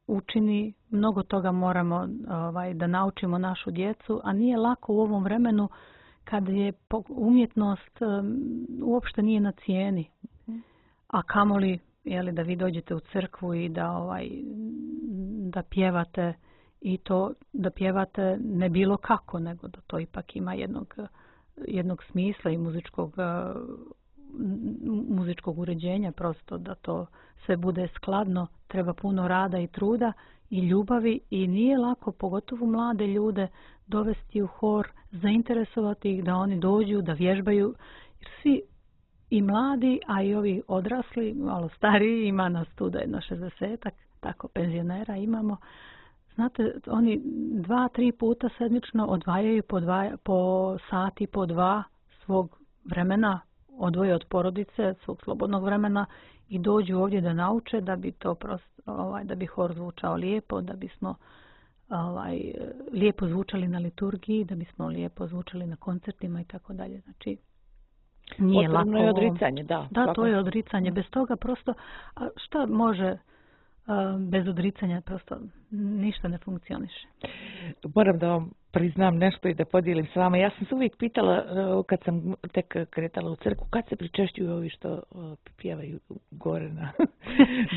učini, mnogo toga moramo ovaj, da naučimo našu djecu, a nije lako u ovom vremenu kad je umjetnost um, uopšte nije na cijeni. A kamoli jeli, da vi dođete u crkvu i da, ovaj, da pjevate i to da pjevate ne bilo kako, nego da to ipak ima jednog, jednog smisla i muzičkog, muzičkog uređenja, prosto da to sve bude skladno, treba puno rada i truda i ljubavi i nije lako, pogotovo mlade ljude, dovesti u hor, zainteresovati ih da oni dođu, da vježbaju. Jer svi i mladi, a i ovi odrasli, malo stariji, ima nas tu da jedno šezdesetak, tako penzionera imamo. Znate, oni dva, tri puta sedmično odvajaju po, dva, po sati, po dva svog vremena, odvoje od porodice, svog slobodnog vremena i dođu ovdje da nauče da bi to prosto, ovaj, da bi hor zvučao lijepo, da bismo ovaj, lijepo zvučali na liturgiji, da bismo lijepo zvučali na koncertima i tako dalje. Znači, nije lako. Potrebno je odricanje, da. Da, to je odricanje. Bez toga prosto, a šta može bez odricanja, prosto ništa ne funkcioniše. Moram da vam priznam nešto i da podijelim s vama. Ja sam se uvijek pitala, kad sam tek kretala u crkvu, kad se pričešćuju ovi što pjevaju gore na...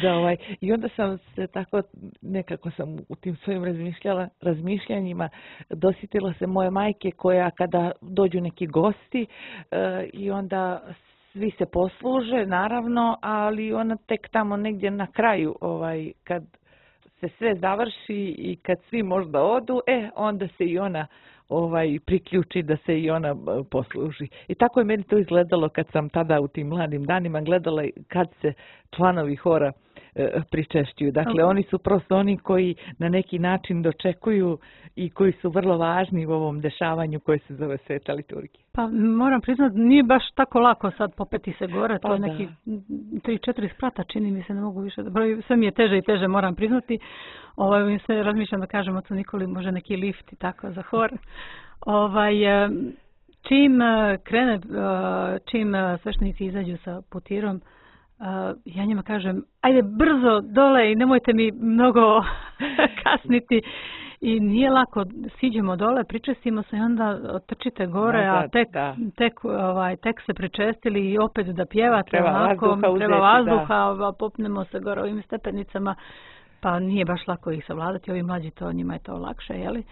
da, ovaj. I onda sam se tako, nekako sam u tim svojim razmišljala, razmišljanjima dosjetila se moje majke koja kada dođu neki gosti i onda svi se posluže, naravno, ali ona tek tamo negdje na kraju, ovaj, kad se sve završi i kad svi možda odu, e, onda se i ona ovaj, priključi da se i ona posluži. I tako je meni to izgledalo kad sam tada u tim mladim danima gledala kad se članovi hora e, pričešćuju. Dakle, okay. Oni su prosto oni koji na neki način dočekuju i koji su vrlo važni u ovom dešavanju koje se zove Sveta liturgija. Pa moram priznati, nije baš tako lako sad popeti se gore, to pa je neki tri četiri sprata, čini mi se, ne mogu više, sve mi je teže i teže, moram priznati. Ovaj, mi se razmišljam da kažem ocu Nikoli, može neki lift i tako za hor. Ovaj, čim krene, čim sveštenici izađu sa putirom, ja njima kažem, ajde brzo dole i nemojte mi mnogo kasniti. I nije lako, siđemo dole, pričestimo se i onda trčite gore, da, a tek, tek, ovaj, tek se pričestili i opet da pjevate, treba onako, vazduha, uzeti, treba vazduha, da. Popnemo se gore ovim stepenicama, pa nije baš lako ih savladati, ovi mlađi to, njima je to lakše, jeli?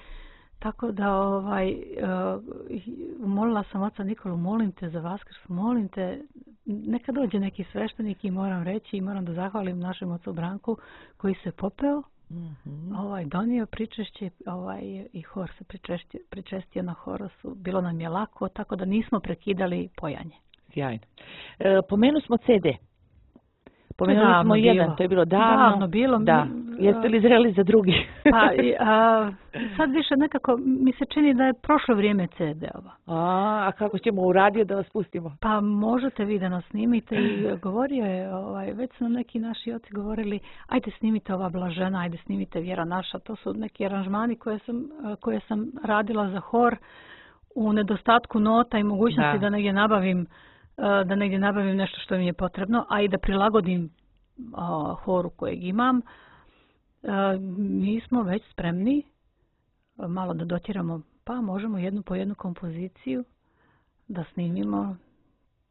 Tako da, ovaj, uh, molila sam oca Nikolu, molim te za Vaskrs, molim te, neka dođe neki sveštenik i moram reći i moram da zahvalim našem ocu Branku koji se popeo, mm-hmm. ovaj, donio pričešće, ovaj, i hor se pričestio, pričestio na horosu. Bilo nam je lako, tako da nismo prekidali pojanje. Sjajno. E, pomenu smo ce de. Pomenuli smo bilo. jedan, to je bilo davno. Davno bilo. Da. Jeste li zreli za drugi? Pa, a, sad više nekako mi se čini da je prošlo vrijeme ce de-ova. A, a kako ćemo u radio da vas pustimo? Pa možete vi da nas snimite i govorio je, ovaj, već su nam neki naši oci govorili, ajde snimite ova Blažena, ajde snimite Vjera naša. To su neki aranžmani koje sam, koje sam radila za hor u nedostatku nota i mogućnosti da, da negdje nabavim da negdje nabavim nešto što mi je potrebno, a i da prilagodim a, horu kojeg imam. A, mi smo već spremni a, malo da dotiramo, pa možemo jednu po jednu kompoziciju da snimimo.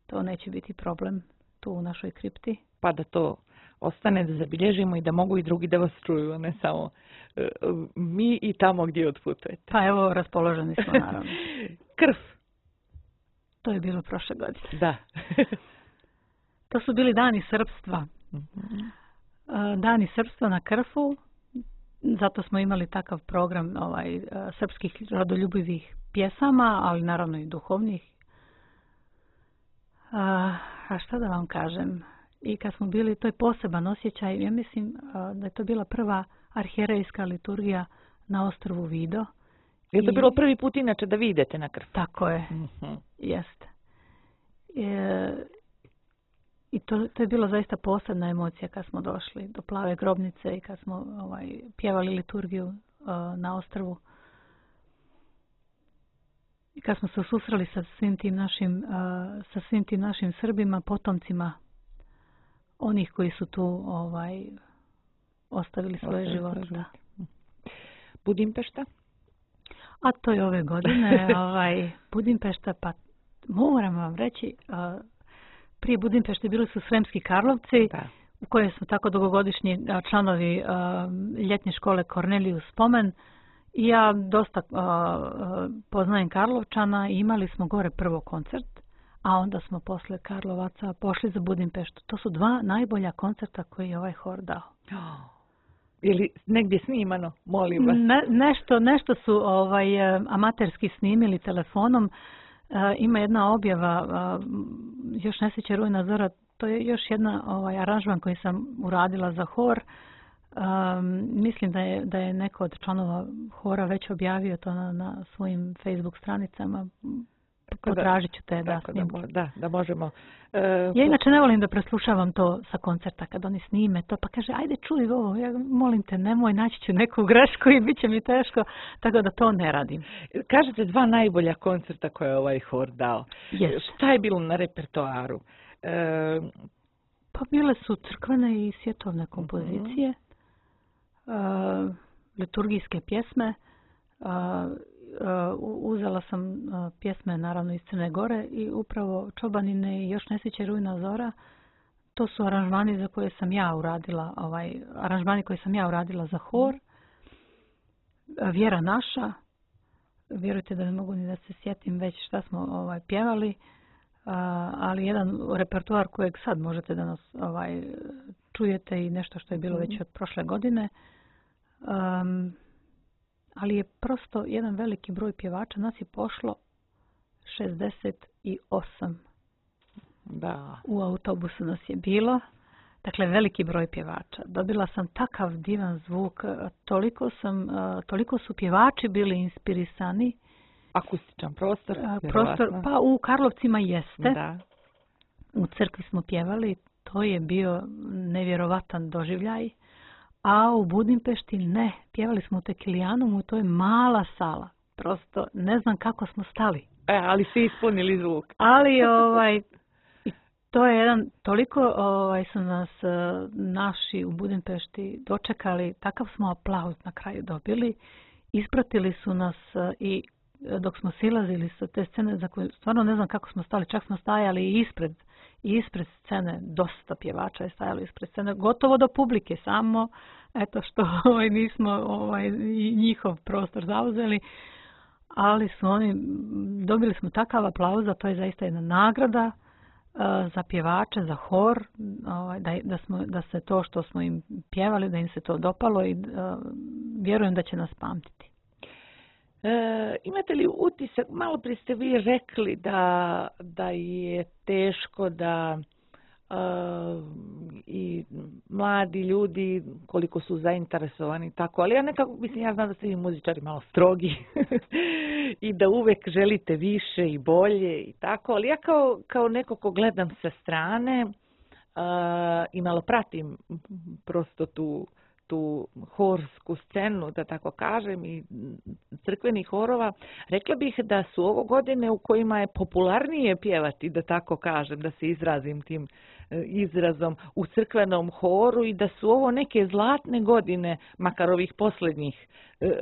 To neće biti problem tu u našoj kripti. Pa da to ostane, da zabilježimo i da mogu i drugi da vas čuju, a ne samo uh, mi i tamo gdje odputujete. Pa evo, raspoloženi smo, naravno. Krf. To je bilo prošle godine. Da. To su bili dani srpstva. Mm-hmm. Dani srpstva na Krfu. Zato smo imali takav program ovaj, srpskih rodoljubivih pjesama, ali naravno i duhovnih. A, a šta da vam kažem? I kad smo bili, to je poseban osjećaj. Ja mislim da je to bila prva arhijerejska liturgija na ostrvu Vido. Je to I, bilo prvi put inače da vi idete na Krf? Tako je. Mm-hmm. Jeste. E, I to, to je bilo zaista posebna emocija kad smo došli do Plave grobnice i kad smo ovaj, pjevali liturgiju uh, na ostrvu. I kad smo se susreli sa svim tim našim, uh, sa svim tim našim Srbima, potomcima onih koji su tu ovaj, ostavili svoje živote. Da. Budimpešta? A to je ove godine. ovaj, Budimpešta, pa moram vam reći... Uh, Prije Budimpešte bili su Sremski Karlovci, da. U kojem smo tako dugogodišnji članovi uh, ljetne škole Kornelijus Spomen. I ja dosta uh, poznajem Karlovčana i imali smo gore prvo koncert, a onda smo posle Karlovaca pošli za Budimpeštu. To su dva najbolja koncerta koje je ovaj hor dao. Oh. Je li negdje snimano? Molim vas. Ne, nešto, nešto su ovaj, amaterski snimili telefonom. Uh, ima jedna objava, uh, još ne sjeća Rujna Zora, to je još jedna ovaj, aranžman koji sam uradila za hor. Um, mislim da je, da je neko od članova hora već objavio to na, na svojim Facebook stranicama. Potražit ću te da snimku. Da, da, da možemo. Uh, ja inače ne volim da preslušavam to sa koncerta kad oni snime to, pa kaže ajde čuj ovo, ja molim te nemoj, naći ću neku grešku i bit će mi teško, tako da to ne radim. Kažete dva najbolja koncerta koje je ovaj hor dao. Yes. Šta je bilo na repertoaru? Uh, pa bile su crkvene i svjetovne kompozicije, uh-huh. uh, liturgijske pjesme, uh, Uh, uzela sam uh, pjesme naravno iz Crne Gore i upravo Čobanine i Još ne sviće Rujna Zora. To su aranžmani za koje sam ja uradila, ovaj, aranžmani koje sam ja uradila za hor. Uh, Vjera naša. Vjerujte da ne mogu ni da se sjetim već šta smo ovaj, pjevali. Uh, ali jedan repertoar kojeg sad možete da nas ovaj, čujete i nešto što je bilo već od prošle godine. Um, ali je prosto jedan veliki broj pjevača. Nas je pošlo šezdeset osam. Da. U autobusu nas je bilo. Dakle, veliki broj pjevača. Dobila sam takav divan zvuk. Toliko, sam, toliko su pjevači bili inspirisani. Akustičan prostor. Prostor, pa u Karlovcima jeste. Da. U crkvi smo pjevali. To je bio nevjerovatan doživljaj. A u Budimpešti ne. Pjevali smo u Tekilijanumu, to je mala sala. Prosto ne znam kako smo stali. E, ali svi ispunili zvuk. Ali ovaj, to je jedan, toliko ovaj, su nas naši u Budimpešti dočekali, takav smo aplauz na kraju dobili. Ispratili su nas i dok smo silazili sa te scene, za koje stvarno ne znam kako smo stali, čak smo stajali i ispred, i ispred scene, dosta pjevača je stajalo ispred scene, gotovo do publike, samo eto što ovaj, nismo ovaj, njihov prostor zauzeli, ali su oni, dobili smo takav aplauz, a to je zaista jedna nagrada uh, za pjevače, za hor, ovaj, da, da, smo, da se to što smo im pjevali, da im se to dopalo i uh, vjerujem da će nas pamtiti. E, imate li utisak, malo prije ste vi rekli da, da je teško da e, i mladi ljudi koliko su zainteresovani tako, ali ja nekako, mislim, ja znam da ste vi muzičari malo strogi i da uvek želite više i bolje i tako, ali ja kao, kao neko ko gledam sa strane e, i malo pratim prosto tu tu horsku scenu, da tako kažem, i crkvenih horova, rekla bih da su ovo godine u kojima je popularnije pjevati, da tako kažem, da se izrazim tim izrazom, u crkvenom horu, i da su ovo neke zlatne godine, makar ovih posljednjih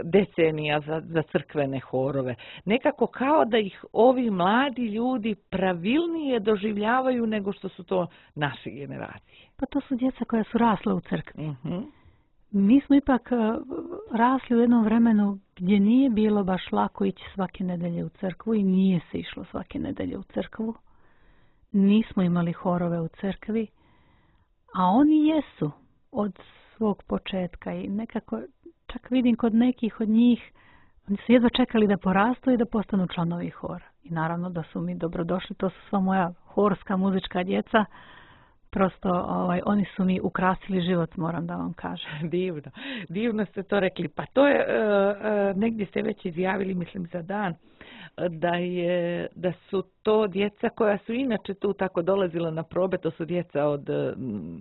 decenija za, za crkvene horove. Nekako kao da ih ovi mladi ljudi pravilnije doživljavaju nego što su to naše generacije. Pa to su djeca koja su rasla u crkvi. Uh-huh. Mi smo ipak rasli u jednom vremenu gdje nije bilo baš lako ići svake nedelje u crkvu i nije se išlo svake nedelje u crkvu. Nismo imali horove u crkvi, a oni jesu od svog početka i nekako čak vidim kod nekih od njih, oni su jedva čekali da porastu i da postanu članovi hora. I naravno da su mi dobrodošli, to su sva moja horska muzička djeca. Prosto ovaj, oni su mi ukrasili život, moram da vam kažem. Divno, divno ste to rekli. Pa to je, uh, uh, negdje ste već izjavili, mislim za dan, da, je, da su to djeca koja su inače tu tako dolazila na probe, to su djeca od uh,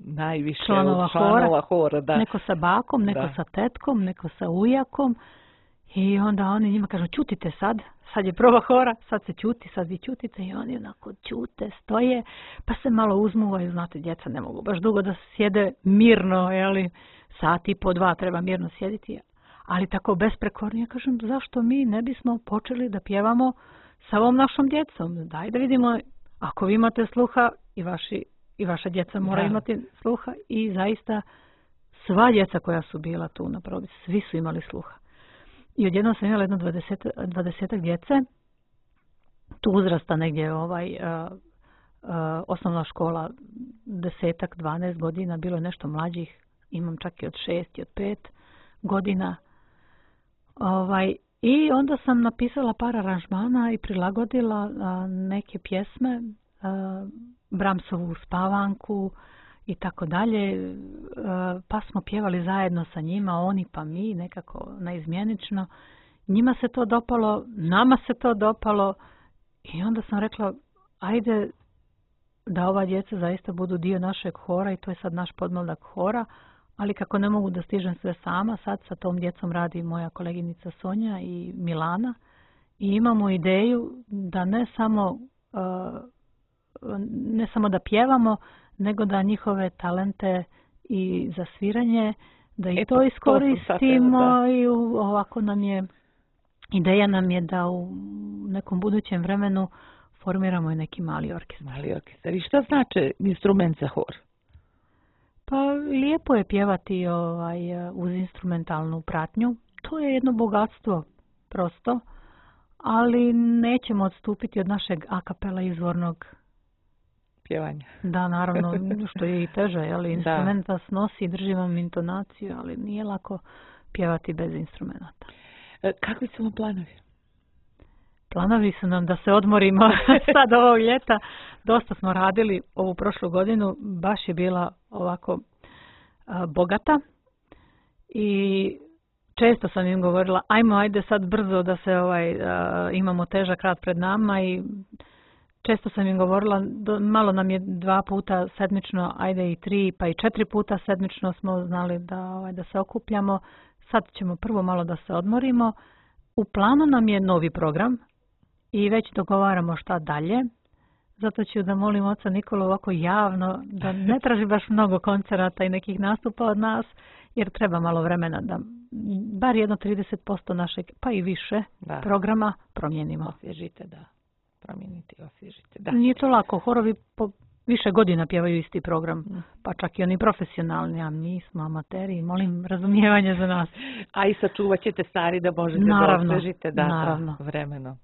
najviše članova, od članova hora, hora. Da. Neko sa bakom, neko da. sa tetkom, neko sa ujakom. I onda oni njima kažu, ćutite sad, sad je proba hora, sad se ćuti, sad vi ćutite, i oni onako ćute, stoje, pa se malo uzmuvaju, znate, djeca ne mogu baš dugo da sjede mirno, jeli, sat i po dva treba mirno sjediti, ali tako besprekorno. Ja kažem, zašto mi ne bismo počeli da pjevamo sa ovom našom djecom? Daj da vidimo, ako vi imate sluha, i, vaši, i vaša djeca mora da. imati sluha, i zaista sva djeca koja su bila tu na probi, svi su imali sluha. I odjednom sam imala jedno dvadeset, dvadesetak djece, tu uzrasta negdje ovaj, uh, uh, osnovna škola, desetak, dvanaest godina, bilo je nešto mlađih, imam čak i od šest i od pet godina. Ovaj, I onda sam napisala par aranžmana i prilagodila uh, neke pjesme, uh, Brahmsovu Spavanku i tako dalje, pa smo pjevali zajedno sa njima, oni pa mi, nekako naizmjenično. Njima se to dopalo, nama se to dopalo, i onda sam rekla, ajde da ova djeca zaista budu dio našeg hora, i to je sad naš podmladak hora, ali kako ne mogu da stižem sve sama, sad sa tom djecom radi moja koleginica Sonja i Milana, i imamo ideju da ne samo, ne samo da pjevamo, nego da njihove talente i za sviranje, da i e, to iskoristimo, to i u, ovako nam je, ideja nam je da u nekom budućem vremenu formiramo i neki mali orkestar. Mali orkestar. I šta znači instrument za hor? Pa lijepo je pjevati ovaj, uz instrumentalnu pratnju. To je jedno bogatstvo, prosto, ali nećemo odstupiti od našeg a kapela izvornog pjevanja. Da, naravno, što je i teže, jeli, instrumenta snosi, drži vam intonaciju, ali nije lako pjevati bez instrumenta. E, kakvi su vam planovi? Planovi su nam da se odmorimo sad ovog ljeta. Dosta smo radili ovu prošlu godinu, baš je bila ovako a, bogata, i često sam im govorila, ajmo, ajde sad brzo da se ovaj, a, imamo težak rad pred nama, i često sam im govorila, do, malo nam je dva puta sedmično, ajde i tri, pa i četiri puta sedmično smo znali da, ovaj, da se okupljamo. Sad ćemo prvo malo da se odmorimo. U planu nam je novi program i već dogovaramo šta dalje. Zato ću da molim oca Nikolu ovako javno da ne traži baš mnogo koncerata i nekih nastupa od nas, jer treba malo vremena da bar jedno trideset posto našeg, pa i više, da. programa promijenimo. Osvježite, da. Promijeniti, osvježite, da. Nije to lako. Horovi po više godina pjevaju isti program, pa čak i oni profesionalni, a mi smo amateri, molim razumijevanje za nas. A i sačuvat ćete stari da možete naravno, da osvježite, da, naravno. Da, vremeno.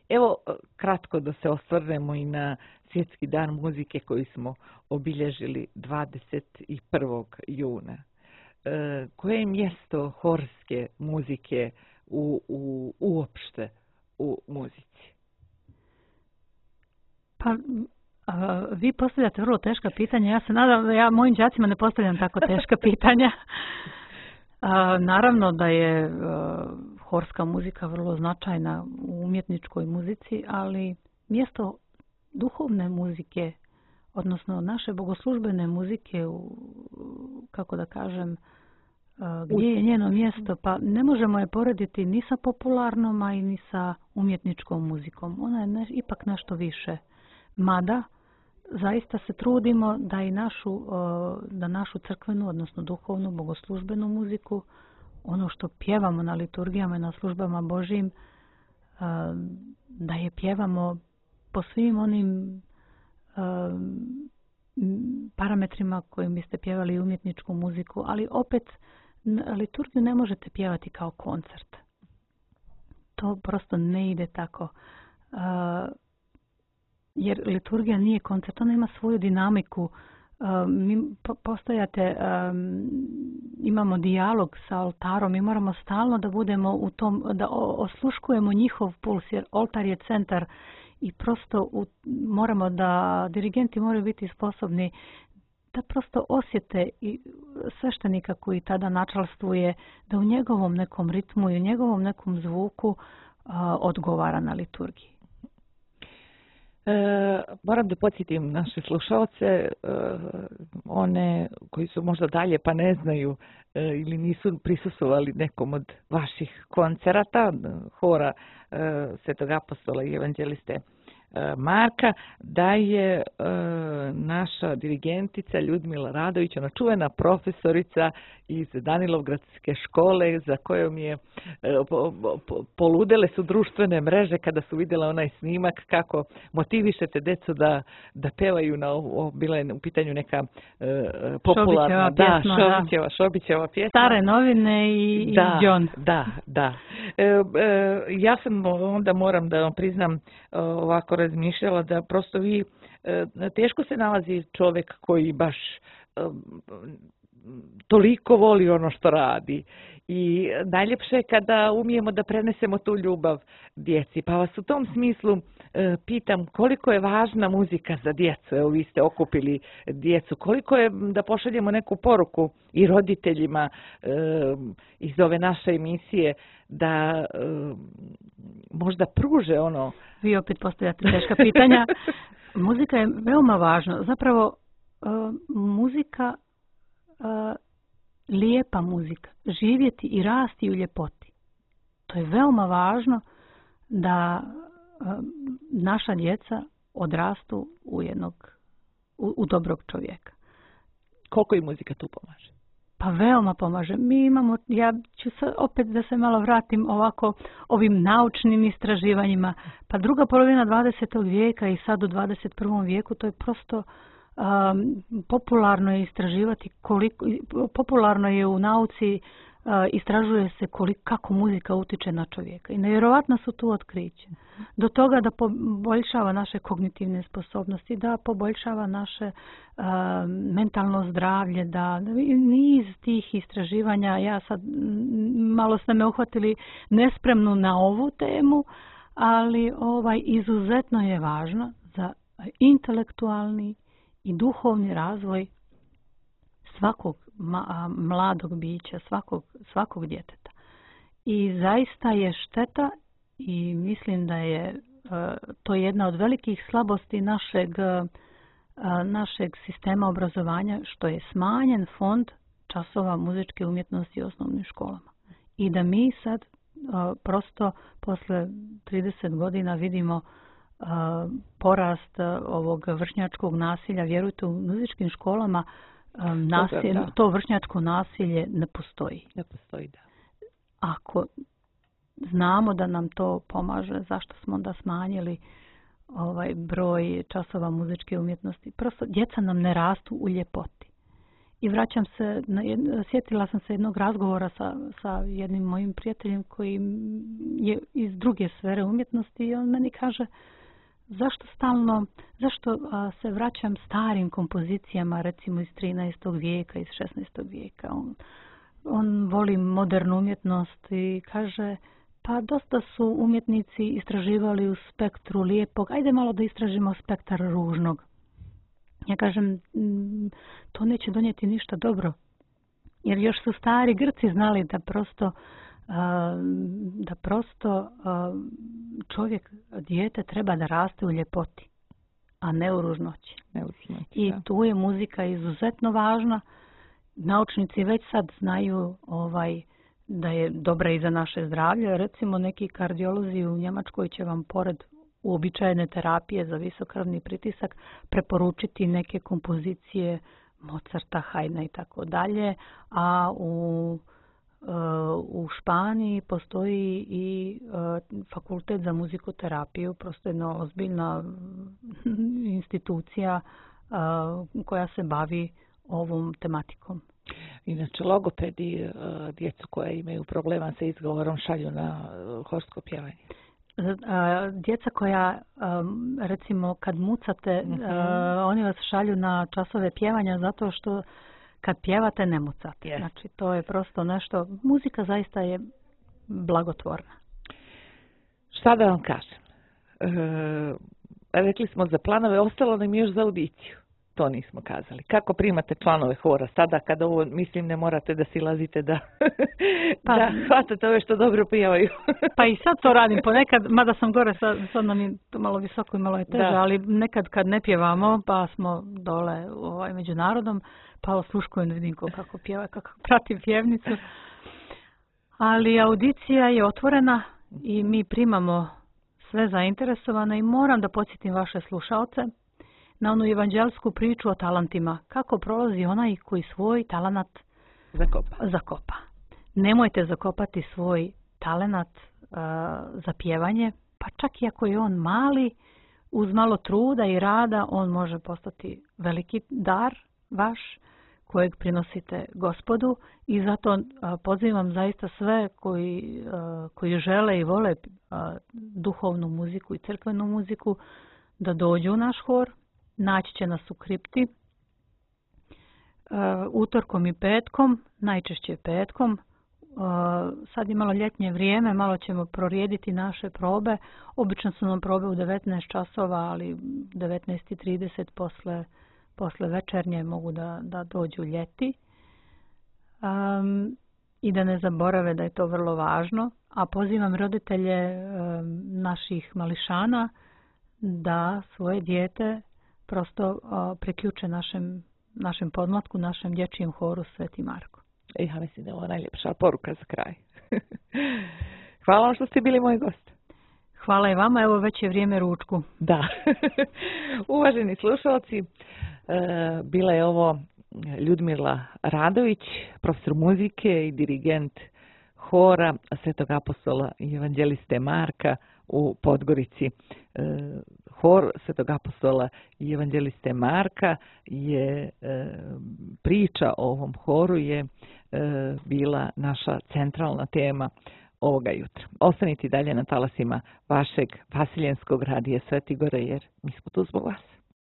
Evo, kratko da se osvrnemo i na Svjetski dan muzike koji smo obilježili dvadeset prvog juna. E, koje je mjesto horske muzike u, u, uopšte u muzici? Pa, a, vi postavljate vrlo teška pitanja. Ja se nadam da ja mojim đacima ne postavljam tako teška pitanja. A, naravno da je a, horska muzika vrlo značajna u umjetničkoj muzici, ali mjesto duhovne muzike, odnosno naše bogoslužbene muzike, u, kako da kažem, gdje je njeno mjesto? Pa ne možemo je porediti ni sa popularnom, a i ni sa umjetničkom muzikom. Ona je ne, ipak nešto više. Mada, zaista se trudimo da i našu, da našu crkvenu, odnosno duhovnu, bogoslužbenu muziku, ono što pjevamo na liturgijama i na službama Božjim, da je pjevamo po svim onim parametrima kojim biste pjevali umjetničku muziku, ali opet liturgiju ne možete pjevati kao koncert. To prosto ne ide tako. Jer liturgija nije koncert, ona ima svoju dinamiku. Mi postojate, imamo dijalog sa oltarom, mi moramo stalno da budemo u tom, da osluškujemo njihov puls, jer oltar je centar i prosto u, moramo da, dirigenti moraju biti sposobni da prosto osjete i sveštenika koji tada načalstvuje, da u njegovom nekom ritmu i u njegovom nekom zvuku a, odgovara na liturgiji. E, moram da podsjetim naše slušalce, e, one koji su možda dalje pa ne znaju e, ili nisu prisustvovali nekom od vaših koncerata, hora e, Svetog apostola i evanđeliste Marka, da je e, naša dirigentica Ljudmila Radović, ona čuvena profesorica iz Danilovgradske škole, za kojom je e, po, po, poludele su društvene mreže kada su vidjela onaj snimak kako motivišete decu da, da pevaju na ovo, bila je u pitanju neka e, popularna, Šobićeva pjesma, da, Šobićeva, Šobićeva pjesma. Stare novine i, da, i John. Da, da. E, e, ja sam onda moram da vam priznam ovako razmišljala da prosto vi, teško se nalazi čovjek koji baš toliko voli ono što radi i najljepše je kada umijemo da prenesemo tu ljubav djeci. Pa vas u tom smislu pitam koliko je važna muzika za djecu. Evo vi ste okupili djecu. Koliko je da pošaljemo neku poruku i roditeljima iz ove naše emisije da možda pruže ono. Vi opet postavljate teška pitanja. Muzika je veoma važna. Zapravo muzika, lijepa muzika, živjeti i rasti u ljepoti. To je veoma važno da naša djeca odrastu u jednog, u, u dobrog čovjeka. Koliko i muzika tu pomaže? Pa veoma pomaže. Mi imamo, ja ću se opet da se malo vratim ovako ovim naučnim istraživanjima. Pa druga polovina dvadesetog vijeka i sad u dvadeset prvom vijeku to je prosto um, popularno je istraživati koliko, popularno je u nauci uh, istražuje se koliko, kako muzika utiče na čovjeka. I nevjerovatno su tu otkriće. Do toga da poboljšava naše kognitivne sposobnosti, da poboljšava naše uh, mentalno zdravlje, da niz tih istraživanja, ja sad malo ste me uhvatili nespremnu na ovu temu, ali ovaj izuzetno je važno za intelektualni i duhovni razvoj svakog ma, mladog bića, svakog, svakog djeteta. I zaista je šteta i mislim da je uh, to jedna od velikih slabosti našeg, uh, našeg sistema obrazovanja, što je smanjen fond časova muzičke umjetnosti u osnovnim školama. I da mi sad uh, prosto posle trideset godina vidimo uh, porast uh, ovog vršnjačkog nasilja. Vjerujte, u muzičkim školama um, nasilje, to vršnjačko nasilje ne postoji. Ne postoji, da. Ako znamo da nam to pomaže, zašto smo onda smanjili ovaj broj časova muzičke umjetnosti? Prosto djeca nam ne rastu u ljepoti. I vraćam se, na, sjetila sam se jednog razgovora sa, sa jednim mojim prijateljem koji je iz druge sfere umjetnosti i on meni kaže zašto stalno, zašto a, se vraćam starim kompozicijama, recimo iz trinaestog vijeka, iz šesnaestog vijeka. On, on voli modernu umjetnost i kaže pa dosta su umjetnici istraživali u spektru lijepog, ajde malo da istražimo spektar ružnog. Ja kažem, to neće donijeti ništa dobro, jer još su stari Grci znali da prosto, da prosto čovjek, dijete treba da raste u ljepoti, a ne u ružnoći. Ne u ružnoći, I da. tu je muzika izuzetno važna naučnici već sad znaju ovaj da je dobra i za naše zdravlje. Recimo neki kardiolozi u Njemačkoj će vam pored uobičajene terapije za visokrvni pritisak preporučiti neke kompozicije Mozarta, Haydna i tako dalje, a u u Španiji postoji i fakultet za muzikoterapiju, prosto jedna ozbiljna institucija koja se bavi ovom tematikom. Inače, logopedi djecu koja imaju problema sa izgovorom šalju na horsko pjevanje. Djeca koja, recimo, kad mucate, mm-hmm. oni vas šalju na časove pjevanja zato što kad pjevate ne mucate. Yes. Znači, to je prosto nešto, muzika zaista je blagotvorna. Šta da vam kažem? E, rekli smo za planove, ostalo nam još za audiciju. To nismo kazali. Kako primate članove hora sada kada ovo, mislim, ne morate da silazite da, pa, da hvatate ove što dobro pjevaju? Pa i sad to radim ponekad, mada sam gore, sad, sad nam je to malo visoko i malo je teže, da. Ali nekad kad ne pjevamo, pa smo dole ovaj, među narodom, pa osluškujem da vidim kako pjeva, kako pratim pjevnicu. Ali audicija je otvorena i mi primamo sve zainteresovane i moram da podsjetim vaše slušaoce na onu evanđelsku priču o talentima. Kako prolazi onaj koji svoj talenat zakopa. zakopa. Nemojte zakopati svoj talenat uh, za pjevanje, pa čak i ako je on mali, uz malo truda i rada, on može postati veliki dar vaš, kojeg prinosite Gospodu, i zato uh, pozivam zaista sve koji, uh, koji žele i vole uh, duhovnu muziku i crkvenu muziku da dođu u naš hor. Naći će nas u kripti uh, utorkom i petkom, najčešće petkom. Uh, sad je malo ljetnje vrijeme, malo ćemo prorijediti naše probe. Obično su nam probe u devetnaest časova, ali devetnaest i trideset posle, posle večernje mogu da, da dođu ljeti. Um, I da ne zaborave da je to vrlo važno. A pozivam roditelje um, naših mališana da svoje dijete prosto uh, priključe našem, našem podmlatku, našem dječjem horu Sveti Marko. Ja mislim da je ovo najljepša poruka za kraj. Hvala vam što ste bili moj gost. Hvala i vama, evo već je vrijeme ručku. Da. Uvaženi slušalci, bila je ovo Ljudmila Radović, profesor muzike i dirigent hora Svetog apostola i evanđeliste Marka u Podgorici. Hor Svetog apostola i evanđeliste Marka je priča o ovom horu je bila naša centralna tema ovoga jutra. Ostanite dalje na talasima vašeg vasiljenskog radija Sveti Gore, jer mi smo tu zbog vas.